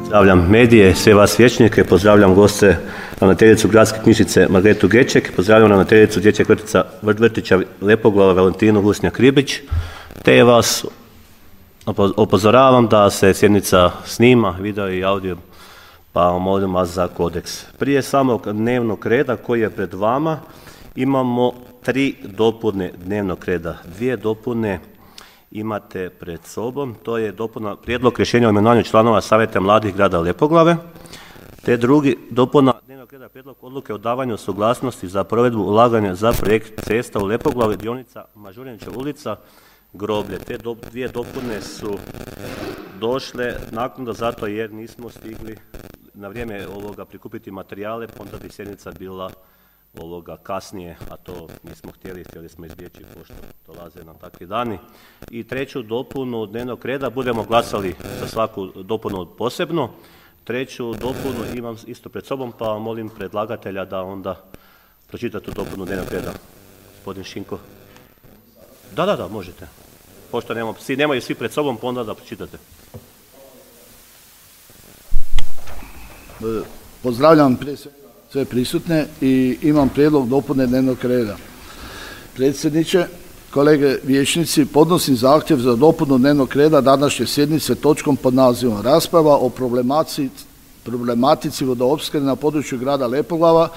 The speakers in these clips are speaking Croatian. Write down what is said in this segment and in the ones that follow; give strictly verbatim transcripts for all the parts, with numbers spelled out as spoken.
Pozdravljam medije, sve vas vijećnike, pozdravljam goste, ravnateljicu Gradske knjižnice Margaretu Geček, pozdravljam ravnateljicu Dječjeg vrtića, vrtića Lepoglava Valentinu Gusnjak-Ribić, te vas upozoravam da se sjednica snima, video i audio, pa molim vas za kodeks. Prije samog dnevnog reda koji je pred vama imamo tri dopune dnevnog reda. Dvije dopune imate pred sobom, to je dopuna prijedlog rješenja o imenovanju članova Savjeta mladih grada Lepoglave, te drugi dopuna dnevnog reda prijedlog odluke o davanju suglasnosti za provedbu ulaganja za projekt cesta u Lepoglavi, dionica Mažuranića ulica, Groblje. Te do, dvije dopune su došle naknadno zato jer nismo stigli na vrijeme ovoga prikupiti materijale, onda bi sjednica bila ovoga kasnije, a to nismo htjeli, htjeli smo izbjeći pošto dolaze nam takvi dani. I treću dopunu dnevnog reda budemo glasali za svaku dopunu posebno. Treću dopunu imam isto pred sobom, pa molim predlagatelja da onda pročita tu dopunu dnevnog reda. Gospodin Šinko. Da, da, da, možete. Pošto nemamo, svi, nemaju svi pred sobom, pa onda da pročitate. Pozdravljam prije svega sve prisutne i imam prijedlog dopune dnevnog reda. Predsjedniče, kolege vijećnici, podnosim zahtjev za dopunu dnevnog reda današnje sjednice točkom pod nazivom Rasprava o problematici, problematici vodoopskrbe na području grada Lepoglava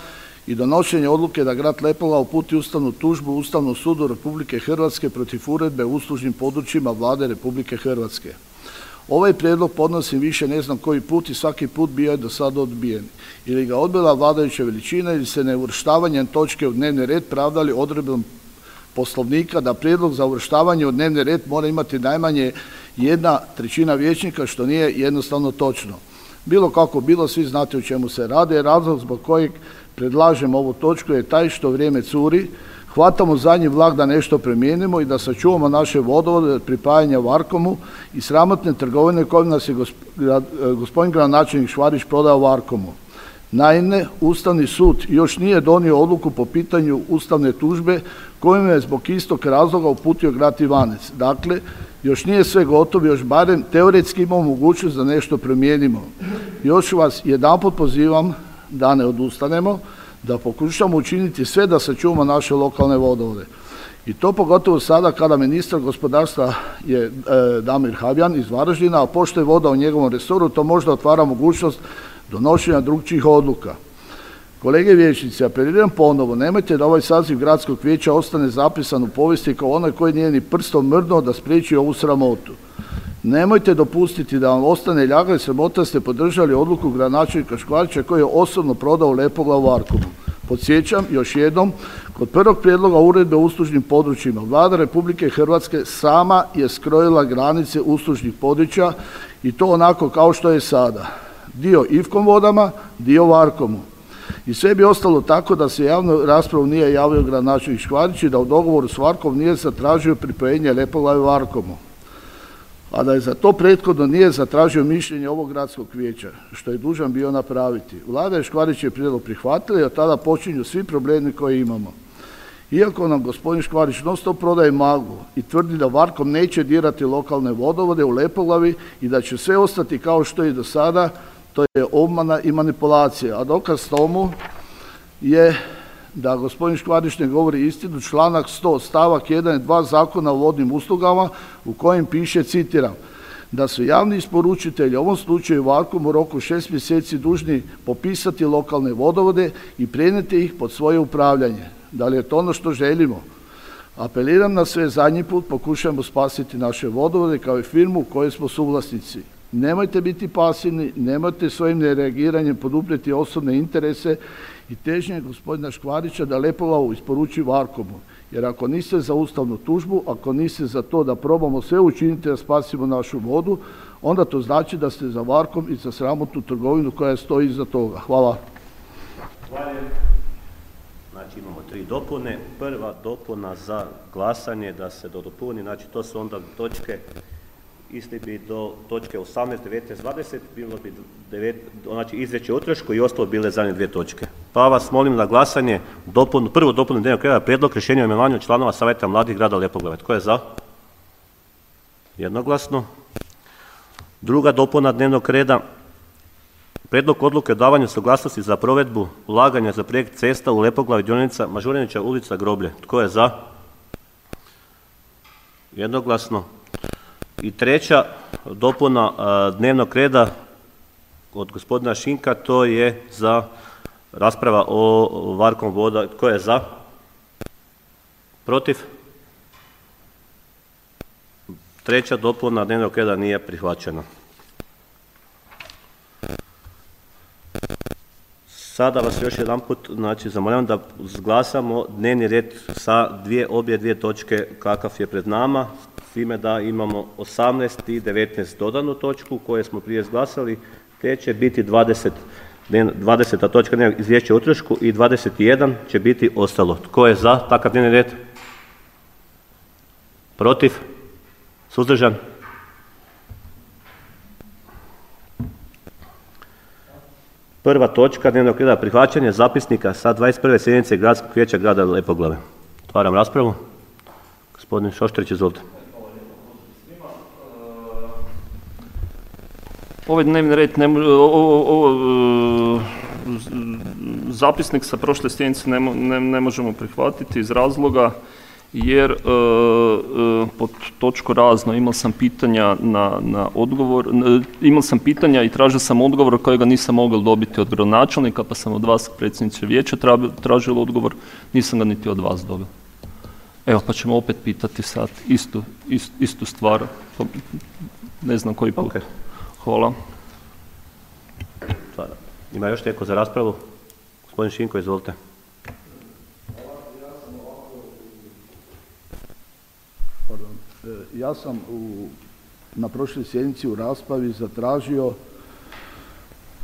i donošenje odluke da grad Lepoglava uputi ustavnu tužbu Ustavnom sudu Republike Hrvatske protiv uredbe o uslužnim područjima Vlade Republike Hrvatske. Ovaj prijedlog podnosim više ne znam koji put i svaki put bio je do sada odbijen. Ili ga odbila vladajuća većina ili se neuvrštavanjem točke u dnevni red pravdali odredbom Poslovnika da prijedlog za uvrštavanje u dnevni red mora imati najmanje jedna trećina vijećnika, što nije jednostavno točno. Bilo kako bilo, svi znate o čemu se radi. Razlog zbog kojeg predlažem ovu točku je taj što vrijeme curi, hvatamo zadnji vlak da nešto promijenimo i da sačuvamo naše vodovode od pripajanja Varkomu i sramotne trgovine kojim nas je gospodin gradonačelnik Škvarić prodao Varkomu. Naime, Ustavni sud još nije donio odluku po pitanju ustavne tužbe kojim je zbog istog razloga uputio grad Ivanec. Dakle, još nije sve gotovo, još barem teoretski imamo mogućnost da nešto promijenimo. Još vas jedanput pozivam da ne odustanemo, da pokušamo učiniti sve da sačuvamo naše lokalne vodovode. I to pogotovo sada kada ministar gospodarstva je e, Damir Habijan iz Varaždina, a pošto je voda u njegovom resoru, to možda otvara mogućnost donošenja drugčijih odluka. Kolege vijećnici, apeliram ponovo, nemojte da ovaj saziv gradskog vijeća ostane zapisan u povijesti kao onaj koji nije ni prstom mrdnuo da spriječi ovu sramotu. Nemojte dopustiti da vam ostane ljaga i sramota ste podržali odluku gradonačelnika Škvarića koji je osobno prodao Lepoglavu Varkomu. Podsjećam još jednom, kod prvog prijedloga uredbe o uslužnim područjima Vlada Republike Hrvatske sama je skrojila granice uslužnih područja i to onako kao što je sada. Dio Ivkom vodama, dio Varkomu. I sve bi ostalo tako da se javnu raspravu nije javio gradonačelnik Škvarić i da u dogovoru s Varkom nije zatražio pripojenje Lepoglave Varkomu, a da je za to prethodno nije zatražio mišljenje ovog gradskog vijeća, što je dužan bio napraviti. Vlada je Škvarićev prijedlog prihvatila i od tada počinju svi problemi koje imamo. Iako nam gospodin Škvarić non stop prodaje maglu i tvrdi da Varkom neće dirati lokalne vodovode u Lepoglavi i da će sve ostati kao što je do sada, to je obmana i manipulacija. A dokaz tomu je da gospodin Škvarić ne govori istinu, članak sto stavak jedan i dva Zakona o vodnim uslugama u kojem piše, citiram, da su javni isporučitelji, u ovom slučaju Varkom, u roku šest mjeseci dužni popisati lokalne vodovode i prenijeti ih pod svoje upravljanje. Da li je to ono što želimo? Apeliram na sve, zadnji put pokušajmo spasiti naše vodovode kao i firmu u kojoj smo suvlasnici. Nemojte biti pasivni, nemojte svojim nereagiranjem poduprijeti osobne interese i težnje gospodina Škvarića da Lepoglavu isporuči Varkomu. Jer ako niste za ustavnu tužbu, ako niste za to da probamo sve učiniti da spasimo našu vodu, onda to znači da ste za Varkom i za sramotnu trgovinu koja stoji iza toga. Hvala. Hvala. Znači imamo tri dopune. Prva dopuna za glasanje da se dopuni, znači to su onda točke, išli bi do točke osamnaest, devetnaest, dvadeset, bilo bi devet, znači izvješće o utrošku i ostalo bile zadnje dvije točke. Pa vas molim na glasanje dopunu, prvu dopunu dnevnog reda, prijedlog rješenja o imenovanju članova Savjeta mladih grada Lepoglave. Tko je za? Jednoglasno. Druga dopuna dnevnog reda, Prijedlog odluke o davanju suglasnosti za provedbu ulaganja za projekt cesta u Lepoglavi dionica Mažuranića ulica Groblje. Tko je za? Jednoglasno. I treća dopuna dnevnog reda od gospodina Šinka, to je za rasprava o Varkom voda. Tko je za? Protiv? Treća dopuna dnevnog reda nije prihvaćena. Sada vas još jedan put znači, zamoljavam da izglasamo dnevni red sa dvije, obje dvije točke kakav je pred nama, s time da imamo osamnaest i devetnaest dodanu točku koje smo prije izglasali, te će biti dvadeset, dvadeseta točka izvješće o utrošku i dvadeset jedan će biti ostalo. Tko je za takav dnevni red? Protiv? Suzdržan? Prva točka dnevnog reda prihvaćanje zapisnika sa dvadeset prve sjednice Gradskog vijeća grada Lepoglave. Otvaram raspravu. Gospodin Šošterić, izvolite. Ovaj dnevni red, ne, ovo, ovo, zapisnik sa prošle sjednice ne, ne, ne možemo prihvatiti iz razloga jer e, e, pod točku razno imao sam pitanja na, na odgovor, e, imao sam pitanja i tražio sam odgovor kojega nisam mogao dobiti od gradonačelnika, pa sam od vas, predsjedniče vijeća, tražio odgovor, nisam ga niti od vas dobio. Evo, pa ćemo opet pitati sad istu, istu, istu stvar, ne znam koji put. Okay. Hvala. Ima još neko za raspravu? Gospodin Šinko, izvolite. Ja sam u, na prošloj sjednici u raspravi zatražio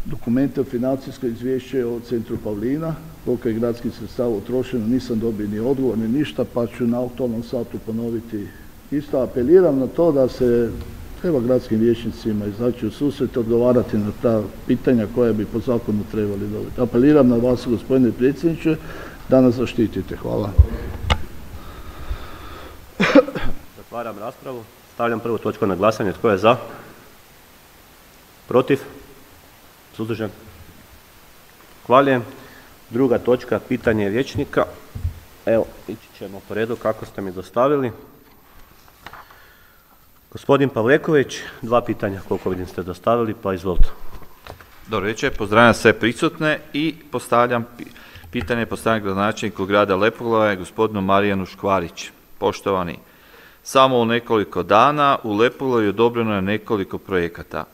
dokumente o financijsko izvješće o centru Pavlina, koliko je gradskih sredstava utrošeno, nisam dobio ni odgovor ni ništa, pa ću na aktualnom satu ponoviti. Isto apeliram na to da se treba gradskim vijećnicima izaći u susret, odgovarati na ta pitanja koja bi po zakonu trebali dobiti. Apeliram na vas, gospodine predsjedniče, da nas zaštitite. Hvala. Zatvaram raspravu. Stavljam prvu točku na glasanje. Tko je za? Protiv? Suzdržan? Hvaljujem. Druga točka, pitanje vijećnika. Evo, ići ćemo po redu kako ste mi dostavili. Gospodin Pavleković, dva pitanja koliko vidim ste dostavili, pa izvolite. Dobro večer, pozdravljam sve prisutne i postavljam pitanje postavljam gradonačelniku grada Lepoglave, gospodinu Marijanu Škvarić. Poštovani, samo u nekoliko dana u Lepoglavi odobreno je nekoliko projekata.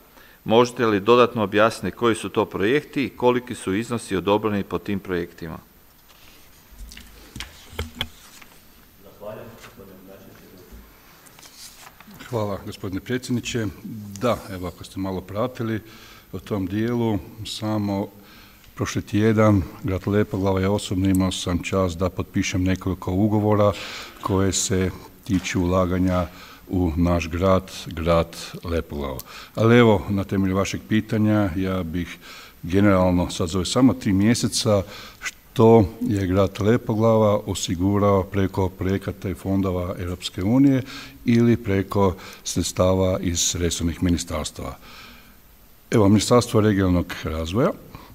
Možete li dodatno objasniti koji su to projekti i koliki su iznosi odobreni po tim projektima? Hvala gospodine predsjedniče. Da, evo ako ste malo pratili o tom dijelu, samo prošli tjedan grad Lepoglava ja osobno imao sam čast da potpišem nekoliko ugovora koje se tiču ulaganja u naš grad, grad Lepoglava. Ali evo, na temelju vašeg pitanja ja bih generalno sad za ove samo tri mjeseca što je grad Lepoglava osigurao preko projekata i fondova Europske unije ili preko sredstava iz resornih ministarstava. Evo, Ministarstvo regionalnog razvoja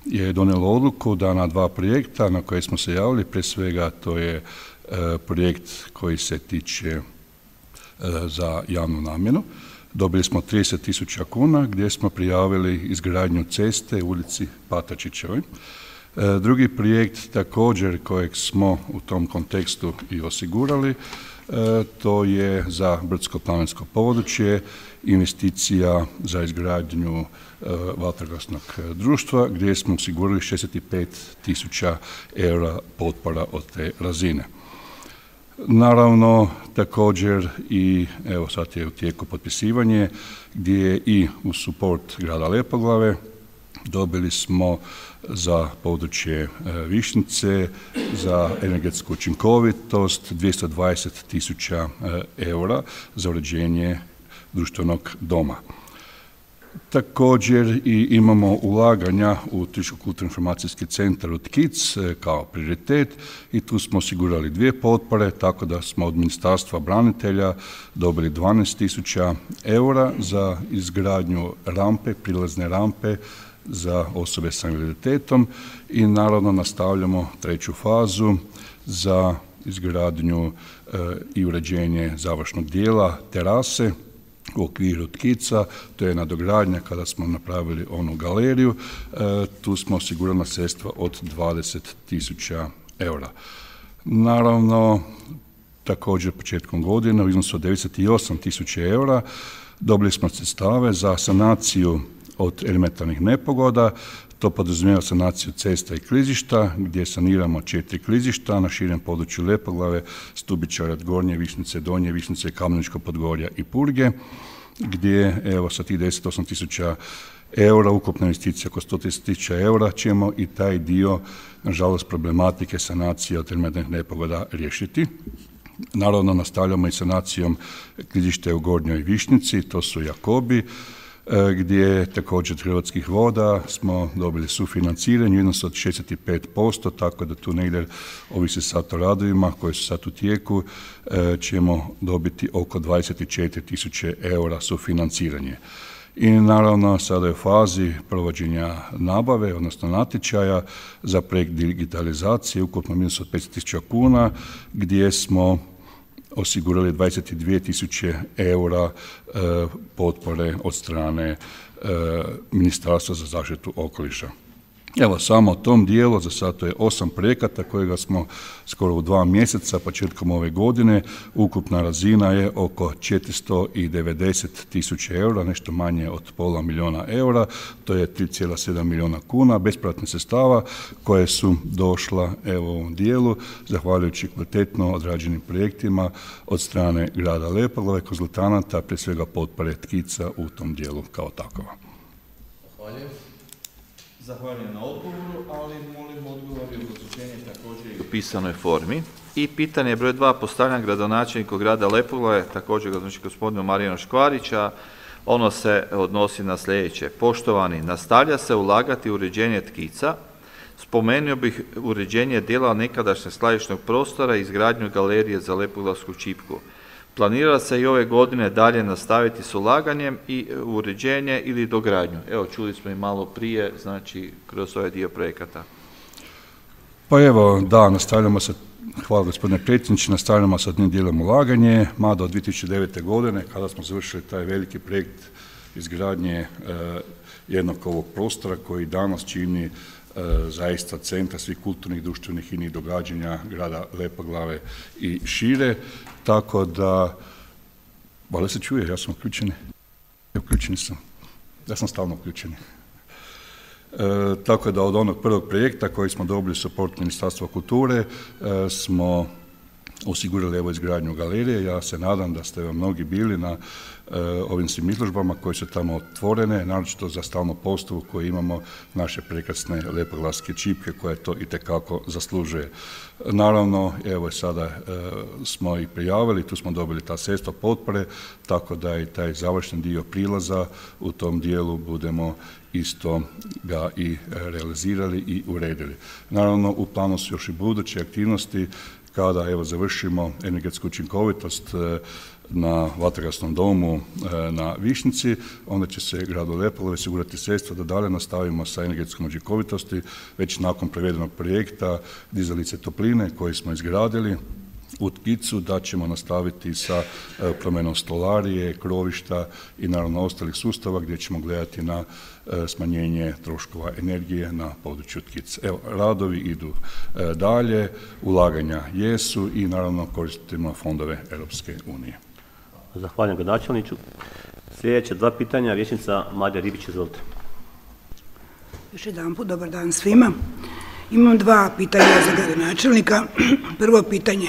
je donijelo odluku da na dva projekta na koje smo se javili, prije svega to je e, projekt koji se tiče e, za javnu namjenu. Dobili smo trideset tisuća kuna gdje smo prijavili izgradnju ceste u ulici Patačićevoj. Drugi projekt također kojeg smo u tom kontekstu i osigurali, to je za brdsko-planinsko područje, investicija za izgradnju vatrogasnog društva gdje smo osigurali šezdeset pet tisuća eura potpora od te razine. Naravno, također i evo sad je u tijeku potpisivanje gdje je i u suport grada Lepoglave dobili smo za područje Višnjice, za energetsku učinkovitost dvjesto dvadeset tisuća eura za uređenje društvenog doma. Također i imamo ulaganja u Turističko-kulturno-informacijski centar u Tkic kao prioritet i tu smo osigurali dvije potpore, tako da smo od Ministarstva branitelja dobili dvanaest tisuća eura za izgradnju rampe, prilazne rampe za osobe sa invaliditetom i naravno nastavljamo treću fazu za izgradnju i uređenje završnog dijela terase u okviru tkica, to je nadogradnja kada smo napravili onu galeriju, tu smo osigurali sredstva od dvadeset tisuća eura. Naravno, također početkom godine u iznosu od devedeset osam tisuća eura dobili smo sredstave za sanaciju od elementarnih nepogoda. To podrazumijeva sanaciju cesta i klizišta, gdje saniramo četiri klizišta na širem području Lepoglave, Stubičara, Gornje Višnjice, Donje Višnjice, Kameničko Podgorja i Purge, gdje evo sa tih devedeset osam tisuća eura, ukupna investicija oko sto trideset tisuća eura, ćemo i taj dio, nažalost, problematike sanacije od elementarnih nepogoda riješiti. Naravno, nastavljamo i sanacijom klizišta u Gornjoj Višnjici, to su Jakobi, gdje također od Hrvatskih voda smo dobili sufinanciranje u iznosu od šezdeset pet posto, tako da tu negdje ovisi sad o radovima koji su sad u tijeku, ćemo dobiti oko dvadeset četiri tisuće eura sufinanciranje. I naravno sada je u fazi provođenja nabave, odnosno natječaja za projekt digitalizacije ukupno minus od petsto tisuća kuna, gdje smo osigurali dvadeset dvije tisuće eura e, potpore od strane e, Ministarstva za zaštitu okoliša. Evo, samo o tom dijelu, za sad to je osam projekata kojega smo skoro u dva mjeseca, početkom ove godine, ukupna razina je oko četiristo devedeset tisuća eura, nešto manje od pola milijuna eura, to je tri zarez sedam milijuna kuna bespovratnih sredstava koje su došla evo u ovom dijelu, zahvaljujući kvalitetno odrađenim projektima od strane grada Lepoglave, konzultanata, prije svega potpore tkica u tom dijelu kao takova. Zahvaljujem. Zahvaljujem na odgovoru, ali molim odgovor i obrazloženje također i u pisanoj formi. I pitanje broj dva postavljam gradonačelniku grada Lepoglave, također gradonačelniku gospodinu Marijanu Škvarića. Ono se odnosi na sljedeće. Poštovani, nastavlja se ulagati u uređenje tkica. Spomenuo bih uređenje dijela nekadašnjeg skladišnog prostora i izgradnju galerije za Lepoglavsku čipku. Planira se i ove godine dalje nastaviti s ulaganjem i uređenje ili dogradnju. Evo, čuli smo i malo prije, znači, kroz ovaj dio projekata. Pa evo, da, nastavljamo se, hvala gospodine predsjedniče, nastavljamo sa jednim dijelom ulaganje, mada od dvije tisuće devete. godine, kada smo završili taj veliki projekt izgradnje e, jednog ovog prostora koji danas čini e, zaista centar svih kulturnih, društvenih i inih događanja grada Lepoglave i šire. Tako da, valjda se čuje, ja sam uključen. Uključeni sam. Ja sam stalno uključen. E, tako da od onog prvog projekta koji smo dobili suport Ministarstva kulture e, smo osigurali evo izgradnju galerije. Ja se nadam da ste mnogi bili na e, ovim svim izložbama koje su tamo otvorene, naročito za stalnu postavu koju imamo naše prekrasne lepoglavske čipke koje to itekako zaslužuje. Naravno, evo sada e, smo i prijavili, tu smo dobili ta sredstva potpore, tako da i taj završni dio prilaza u tom dijelu budemo isto ga i realizirali i uredili. Naravno, u planu su još i buduće aktivnosti kada evo završimo energetsku učinkovitost na vatrogasnom domu na Višnjici, onda će se gradu Lepoglave osigurati sredstva da dalje nastavimo sa energetskom učinkovitosti već nakon provedenog projekta dizalice topline koje smo izgradili u tkicu, da ćemo nastaviti sa promjenom stolarije, krovišta i naravno ostalih sustava gdje ćemo gledati na smanjenje troškova energije na području tkice. Evo, radovi idu dalje, ulaganja jesu i naravno koristimo fondove Europske unije. Zahvaljujem gradonačelniku. Sljedeće dva pitanja, vijećnica Marija Ribić, izvolite. Još jedan put, dobar dan svima. Imam dva pitanja za gradonačelnika. Prvo pitanje.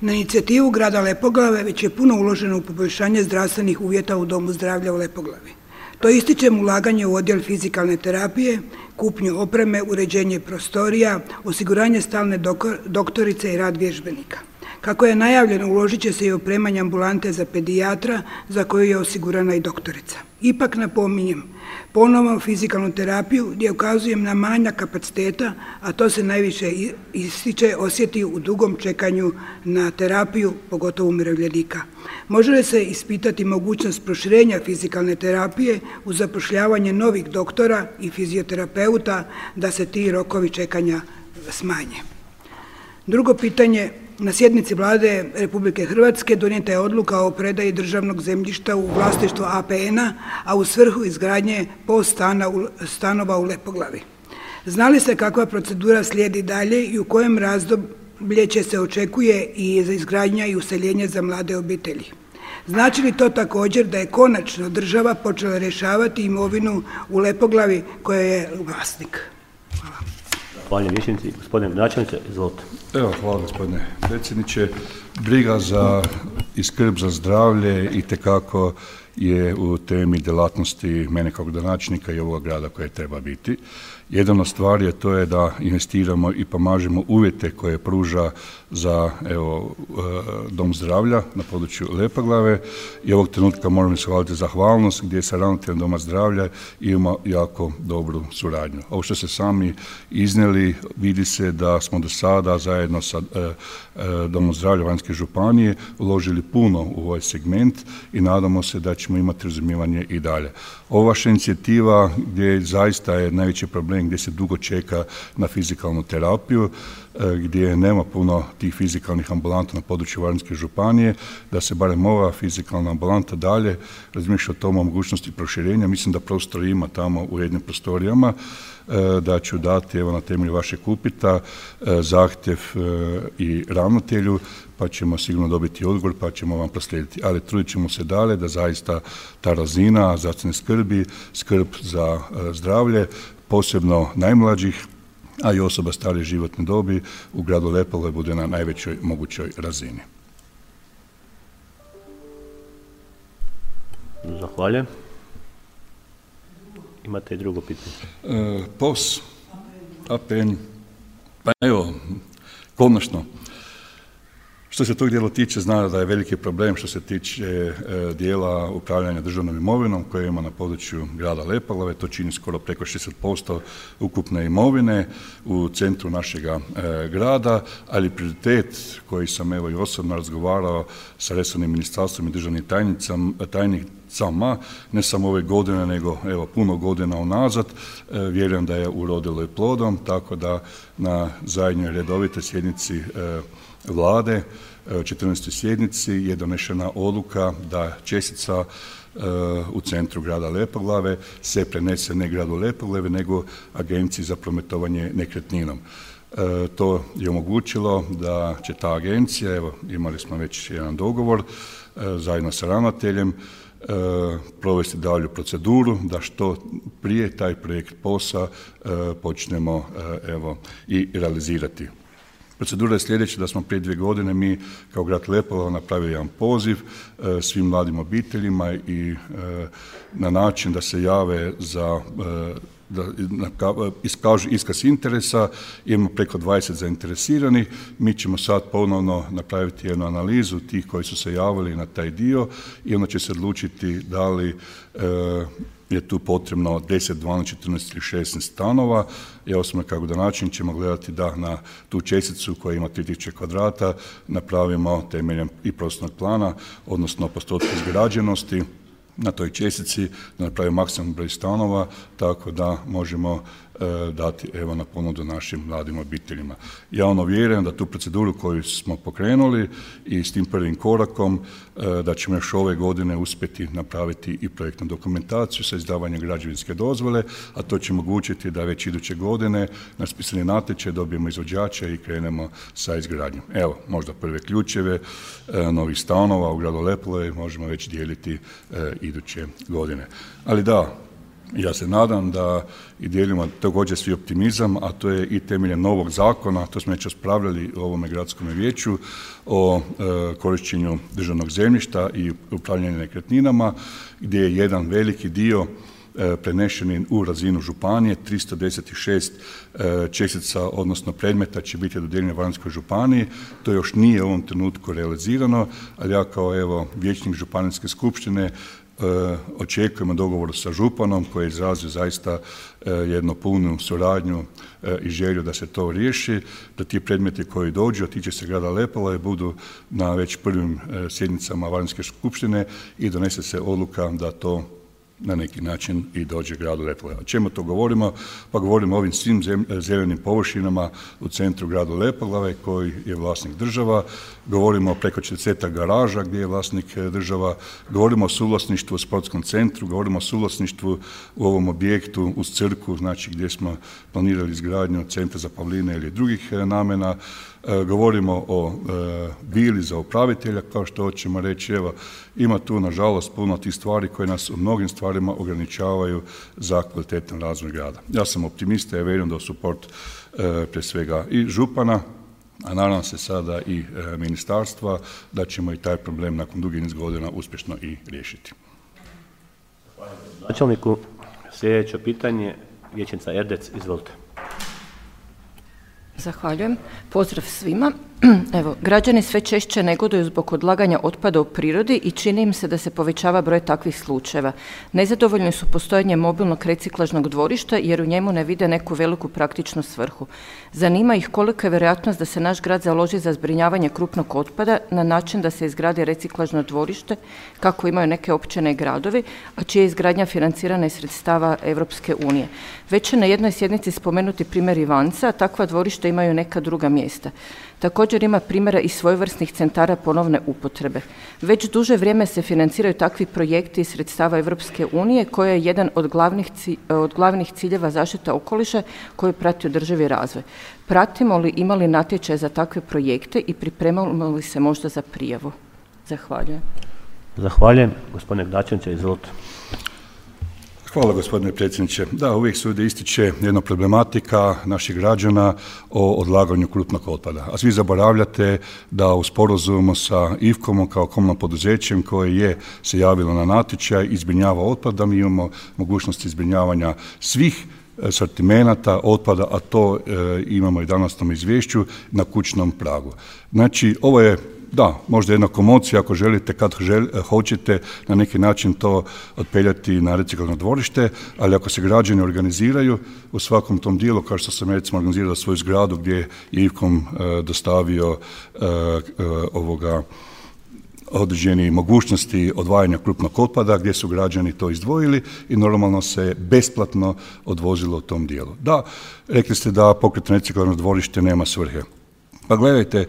Na inicijativu grada Lepoglave već je puno uloženo u poboljšanje zdravstvenih uvjeta u Domu zdravlja u Lepoglavi. To ističem ulaganje u odjel fizikalne terapije, kupnju opreme, uređenje prostorija, osiguranje stalne doktorice i rad vježbenika. Kako je najavljeno, uložit će se i opremanje ambulante za pedijatra za koju je osigurana i doktorica. Ipak napominjem, ponovno fizikalnu terapiju gdje ukazujem na manjak kapaciteta, a to se najviše ističe, osjeti u dugom čekanju na terapiju, pogotovo umirovljenika. Može li se ispitati mogućnost proširenja fizikalne terapije uz zapošljavanje novih doktora i fizioterapeuta da se ti rokovi čekanja smanje? Drugo pitanje, na sjednici Vlade Republike Hrvatske donijeta je odluka o predaji državnog zemljišta u vlasništvo A P N-a, a u svrhu izgradnje POS stanova u Lepoglavi. Zna li se kakva procedura slijedi dalje i u kojem razdoblje će se očekuje i za izgradnja i useljenje za mlade obitelji? Znači li to također da je konačno država počela rješavati imovinu u Lepoglavi koja je vlasnik? Hvala. Hvala vijećnici. Gospodine načelniče, izvolite. Evo, hvala gospodine predsjedniče. Briga za i skrb za zdravlje itekako je u temi djelatnosti mene kao gradonačelnika i ovoga grada koje treba biti. Jedna od stvari je to je da investiramo i pomažemo uvjete koje pruža za evo, dom zdravlja na području Lepoglave i ovog trenutka moramo ishvaliti zahvalnost gdje sa ravnateljem doma zdravlja ima jako dobru suradnju. Ovo što ste sami iznijeli, vidi se da smo do sada zajedno sa e, e, domom zdravlja Varaždinske županije uložili puno u ovaj segment i nadamo se da ćemo imati razumijevanje i dalje. Ova vaša inicijativa gdje zaista je najveći problem gdje se dugo čeka na fizikalnu terapiju, gdje nema puno tih fizikalnih ambulanta na području Varaždinske županije, da se barem ova fizikalna ambulanta dalje razmišlja o tom mogućnosti proširenja. Mislim da prostor ima tamo u jednim prostorijama, da ću dati evo na temelju vašeg upita zahtjev i ravnatelju, pa ćemo sigurno dobiti odgovor, pa ćemo vam proslijediti. Ali trudit ćemo se dalje da zaista ta razina zdravstvene skrbi, skrb za zdravlje, posebno najmlađih, a i osoba starije životne dobi u gradu Lepoglavi bude na najvećoj mogućoj razini. Zahvaljujem. Imate i drugo pitanje? E, P O S, A P N, pa evo, konačno. Što se tog dijela tiče, zna da je veliki problem što se tiče e, dijela upravljanja državnom imovinom koje ima na području grada Lepoglave. To čini skoro preko šezdeset posto ukupne imovine u centru našega e, grada, ali prioritet koji sam evo i osobno razgovarao sa resornim ministarstvom i državnim tajnicama, ne samo ove godine, nego evo puno godina unazad, e, vjerujem da je urodilo i plodom, tako da na zadnjoj redovitoj sjednici e, Vlade, četrnaestoj sjednici je donešena odluka da čestica u centru grada Lepoglave se prenese ne gradu Lepoglavi nego Agenciji za prometovanje nekretninom. To je omogućilo da će ta agencija, evo imali smo već jedan dogovor zajedno sa ravnateljem, provesti dalju proceduru da što prije taj projekt P O S-a počnemo evo i realizirati. Procedura je sljedeća, da smo prije dvije godine mi kao grad Lepoglava napravili jedan poziv e, svim mladim obiteljima i e, na način da se jave za e, da iskažu iskaz interesa. Imamo preko dvadeset zainteresiranih. Mi ćemo sad ponovno napraviti jednu analizu tih koji su se javili na taj dio i onda će se odlučiti da li e, je tu potrebno deset, dvanaest, četrnaest ili šesnaest stanova. Ja osobno kao gradonačelnik ćemo gledati da na tu česticu koja ima tri tisuće kvadrata napravimo temeljem i prostornog plana, odnosno postotka izgrađenosti na toj čestici, da napravimo maksimalni broj stanova, tako da možemo e, dati evo na ponudu našim mladim obiteljima. Ja ono vjerujem da tu proceduru koju smo pokrenuli i s tim prvim korakom e, da ćemo još ove godine uspjeti napraviti i projektnu dokumentaciju sa izdavanjem građevinske dozvole, a to će omogućiti da već iduće godine na raspisani natječaj dobijemo izvođača i krenemo sa izgradnjom. Evo, možda prve ključeve e, novih stanova u gradu Lepoglavi možemo već dijeliti e, iduće godine. Ali da, ja se nadam da i dijelimo također svi optimizam, a to je i temeljem novog zakona, to smo već raspravljali u ovome gradskom vijeću o e, korištenju državnog zemljišta i upravljanju nekretninama, gdje je jedan veliki dio prenešeni u razinu županije, tristo deset šest čestica, odnosno predmeta će biti dodijeljeno Varaždinskoj županiji. To još nije u ovom trenutku realizirano, ali ja kao evo vijećnik županijske skupštine očekujemo dogovor sa županom koji je izrazio zaista jednu punu suradnju i želju da se to riješi, da ti predmeti koji dođu, a tiče se grada Lepoglave, budu na već prvim sjednicama Varaždinske skupštine i donese se odluka da to na neki način i dođe gradu Lepoglava. O čemu to govorimo? Pa govorimo o ovim svim zelenim površinama u centru gradu Lepoglave koji je vlasnik država, govorimo o preko četrdeset garaža gdje je vlasnik država, govorimo o suvlasništvu u sportskom centru, govorimo o suvlasništvu u ovom objektu uz crkvu, znači gdje smo planirali izgradnju centra za pavline ili drugih namjena. Govorimo o e, vili za upravitelja, kao što hoćemo reći. Evo, ima tu nažalost puno tih stvari koje nas u mnogim stvarima ograničavaju za kvalitetan razvoj grada. Ja sam optimista i vjerujem da u suport e, pre svega i župana, a nadam se sada i e, ministarstva, da ćemo i taj problem nakon dugi niz godina uspješno i riješiti. Načelniku, sljedeće pitanje, vijećnica Erdec, izvolite. Zahvaljujem. Pozdrav svima. Evo, građani sve češće negoduju zbog odlaganja otpada u prirodi i čini im se da se povećava broj takvih slučajeva. Nezadovoljni su postojanjem mobilnog reciklažnog dvorišta jer u njemu ne vide neku veliku praktičnu svrhu. Zanima ih kolika je vjerojatnost da se naš grad založi za zbrinjavanje krupnog otpada na način da se izgradi reciklažno dvorište kako imaju neke općine i gradovi, a čija je izgradnja financirana iz sredstava Europske unije. Već je na jednoj sjednici spomenuti primjer Ivanca, a takva dvorišta imaju neka druga mjesta. Također ima primjera i svojevrsnih centara ponovne upotrebe. Već duže vrijeme se financiraju takvi projekti iz sredstava Europske unije koja je jedan od glavnih, od glavnih ciljeva zaštita okoliša koji prati održivi razvoj. Pratimo li, imali natječaj za takve projekte i pripremamo li se možda za prijavu? Zahvaljujem. Zahvaljujem. Gospodine Dačanić, izvolite. Hvala gospodine predsjedniče. Da, uvijek se ovdje ističe jedna problematika naših građana o odlaganju krupnog otpada. A svi zaboravljate da u sporazumu sa I F K O-om kao komunalnim poduzećem koje je se javilo na natječaj i zbrinjava otpad, da mi imamo mogućnosti zbrinjavanja svih sortimenata otpada, a to e, imamo i danas na izvješću na kućnom pragu. Znači, ovo je da, možda jedna komocija ako želite, kad žel, hoćete na neki način to otpeljati na reciklažno dvorište, ali ako se građani organiziraju u svakom tom dijelu, kao što sam recimo organizirao svoju zgradu gdje je I F K O M e, dostavio e, e, ovoga određeni mogućnosti odvajanja krupnog otpada gdje su građani to izdvojili i normalno se besplatno odvozilo u tom dijelu. Da, rekli ste da pokretno reciklažno dvorište nema svrhe. Pa gledajte,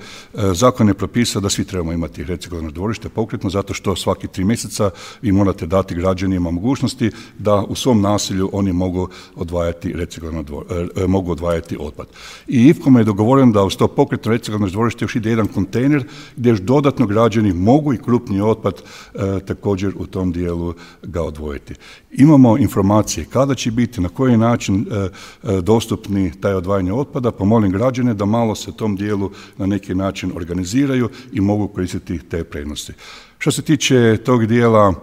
zakon je propisao da svi trebamo imati reciklažno dvorište pokretno zato što svaki tri mjeseca vi morate dati građanima mogućnosti da u svom naselju oni mogu odvajati reciklažno dvorište, mogu odvajati otpad. I I F K O M je dogovoren da uz to pokretno reciklažno dvorište još ide jedan kontejner gdje još dodatno građani mogu i krupni otpad e, također u tom dijelu ga odvojiti. Imamo informacije kada će biti, na koji način e, e, dostupni taj odvajanje otpada, pa molim građane da malo se tom dijelu na neki način organiziraju i mogu koristiti te prednosti. Što se tiče tog dijela e,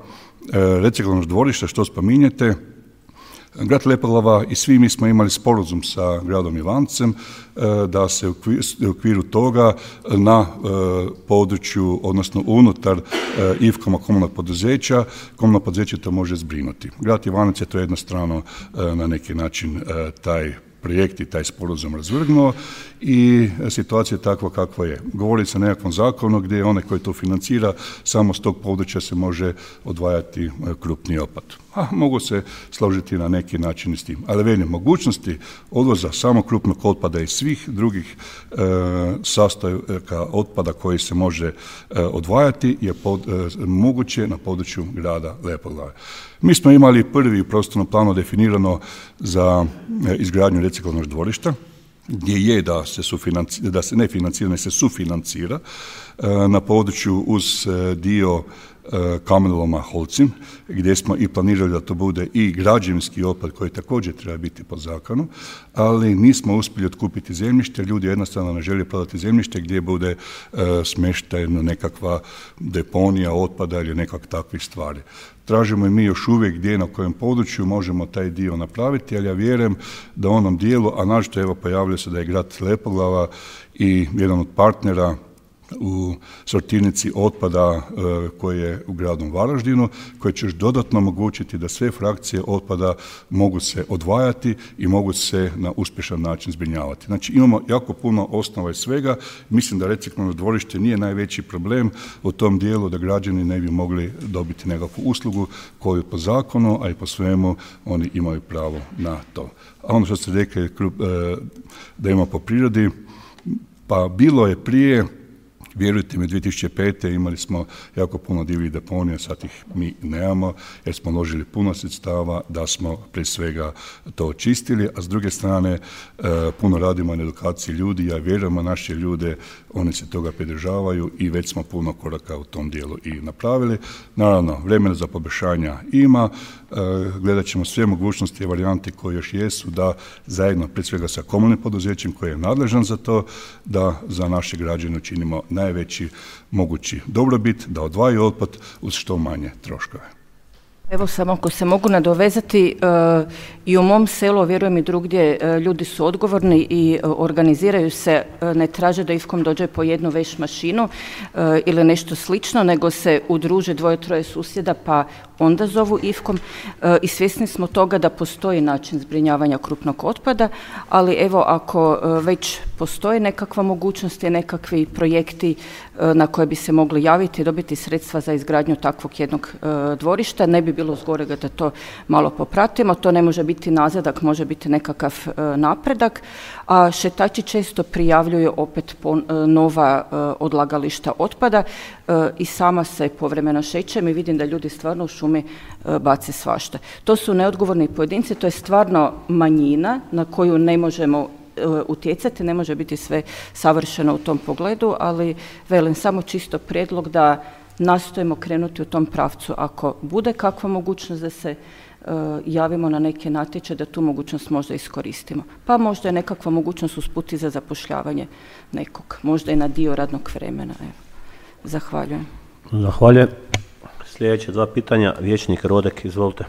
reciklažnog dvorišta što spominjete, grad Lepoglava i svi mi smo imali sporazum sa gradom Ivancem e, da se u okviru toga na e, području, odnosno unutar e, I F K O-a komunalnog poduzeća, komunalno poduzeće to može zbrinuti. Grad Ivanac je to jednostrano e, na neki način e, taj projekt i taj sporazum razvrgnuo i situacija je takva kakva je. Govori se o nekakvom zakonu gdje onaj koji to financira samo s tog područja se može odvajati krupni otpad. A mogu se složiti na neki način s tim. Ali velim, mogućnosti odvoza samo krupnog otpada i svih drugih e, sastojaka otpada koji se može e, odvajati je pod, e, moguće na području grada Lepoglave. Mi smo imali prvi u prostornom planu definirano za e, izgradnju reciklažnog dvorišta, gdje je da se, da se ne financira, ne se sufinancira e, na području uz e, dio kamenoloma Holcim, gdje smo i planirali da to bude i građevinski otpad koji također treba biti po zakonu, ali nismo uspjeli otkupiti zemljište, ljudi jednostavno ne žele prodati zemljište gdje bude smještajna nekakva deponija otpada ili nekak takvih stvari. Tražimo i mi još uvijek gdje na kojem području možemo taj dio napraviti, ali ja vjerujem da u onom dijelu, a našto evo pojavljuje se da je grad Lepoglava i jedan od partnera u sortirnici otpada e, koji je u gradu Varaždinu, koji će još dodatno omogućiti da sve frakcije otpada mogu se odvajati i mogu se na uspješan način zbrinjavati. Znači imamo jako puno osnova i svega. Mislim da reciklažno dvorište nije najveći problem u tom dijelu da građani ne bi mogli dobiti nekakvu uslugu koju po zakonu, a i po svemu oni imaju pravo na to. A ono što ste rekli e, da ima po prirodi, pa bilo je prije. Vjerujte mi, dvije tisuće pete. imali smo jako puno divljih deponija, sad ih mi nemamo jer smo uložili puno sredstava da smo prije svega to očistili, a s druge strane puno radimo na edukaciji ljudi, ja vjerujem u naše ljude, oni se toga pridržavaju i već smo puno koraka u tom dijelu i napravili. Naravno, vremena za poboljšanja ima, gledat ćemo sve mogućnosti i varijante koje još jesu da zajedno, prije svega sa komunalnim poduzećem koji je nadležan za to, da za naše građane učinimo najveći mogući dobrobit, da odvajaju otpad uz što manje troškove. Evo samo ako se mogu nadovezati, e, i u mom selu, vjerujem i drugdje, e, ljudi su odgovorni i e, organiziraju se, e, ne traže da ifkom dođe po jednu veš mašinu e, ili nešto slično, nego se udruže dvoje, troje susjeda pa onda zovu ifkom e, i svjesni smo toga da postoji način zbrinjavanja krupnog otpada, ali evo ako e, već postoji nekakva mogućnost i nekakvi projekti e, na koje bi se mogli javiti i dobiti sredstva za izgradnju takvog jednog e, dvorišta, ne bi bilo zgorega da to malo popratimo. To ne može biti nazadak, može biti nekakav e, napredak, a šetači često prijavljuju opet po, e, nova e, odlagališta otpada e, i sama se povremeno šećem i vidim da ljudi stvarno u šumi e, bace svašta. To su neodgovorni pojedinci, to je stvarno manjina na koju ne možemo e, utjecati, ne može biti sve savršeno u tom pogledu, ali velim samo čisto prijedlog da nastojimo krenuti u tom pravcu. Ako bude kakva mogućnost da se uh, javimo na neke natječaje, da tu mogućnost možda iskoristimo. Pa možda je nekakva mogućnost usput i za zapošljavanje nekog, možda i na dio radnog vremena. Evo. Zahvaljujem. Zahvaljujem. Sljedeće dva pitanja, vijećnik Rodek, izvolite.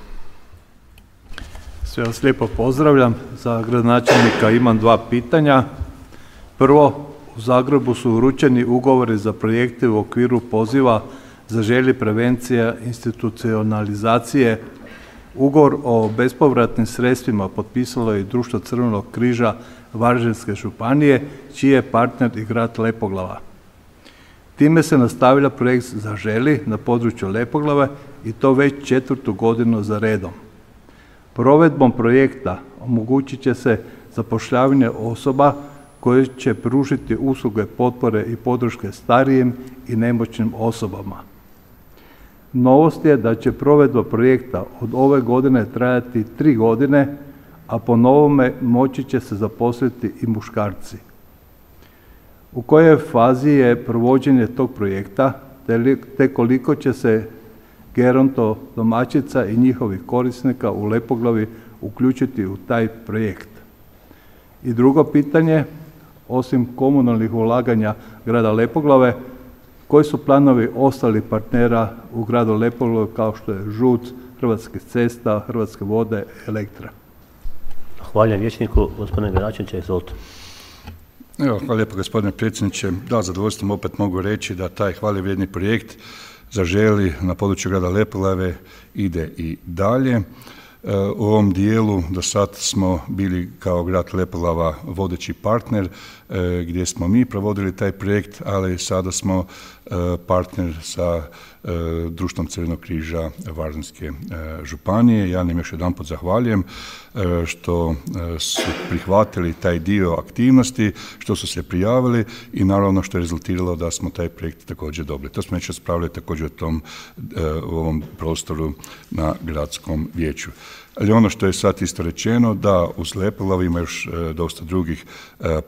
Sve vas lijepo pozdravljam. Za gradonačelnika imam dva pitanja. Prvo, u Zagrebu su uručeni ugovori za projekte u okviru poziva Zaželi prevencija institucionalizacije. Ugovor o bespovratnim sredstvima potpisalo je i Društvo Crvenog križa Varaždinske županije, čiji je partner i grad Lepoglava. Time se nastavlja projekt Zaželi na području Lepoglave i to već četvrtu godinu za redom. Provedbom projekta omogućit će se zapošljavanje osoba koje će pružiti usluge potpore i podrške starijim i nemoćnim osobama. Novost je da će provedba projekta od ove godine trajati tri godine, a po novome moći će se zaposliti i muškarci. U kojoj fazi je provođenje tog projekta, te koliko će se geronto domaćica i njihovih korisnika u Lepoglavi uključiti u taj projekt? I drugo pitanje, osim komunalnih ulaganja grada Lepoglave, koji su planovi ostalih partnera u gradu Lepoglavi kao što je ŽUC, Hrvatske cesta, Hrvatske vode, Elektra? Hvala vijećniku, gospodine Gračanić, izvolite. Evo, hvala lijepo gospodine predsjedniče. Da, zadovoljstvom opet mogu reći da taj hvale vrijedni projekt Zaželi na području grada Lepoglave ide i dalje. U ovom dijelu do sad smo bili kao grad Lepoglava vodeći partner gdje smo mi provodili taj projekt, ali sada smo partner sa Društvom Crvenog križa Varaždinske županije. Ja im još jedanput zahvaljujem što su prihvatili taj dio aktivnosti, što su se prijavili i naravno što je rezultiralo da smo taj projekt također dobili. To smo već raspravljali također u tom, u ovom prostoru na gradskom vijeću. Ali ono što je sad isto rečeno, da uz Lepoglavu ima još dosta drugih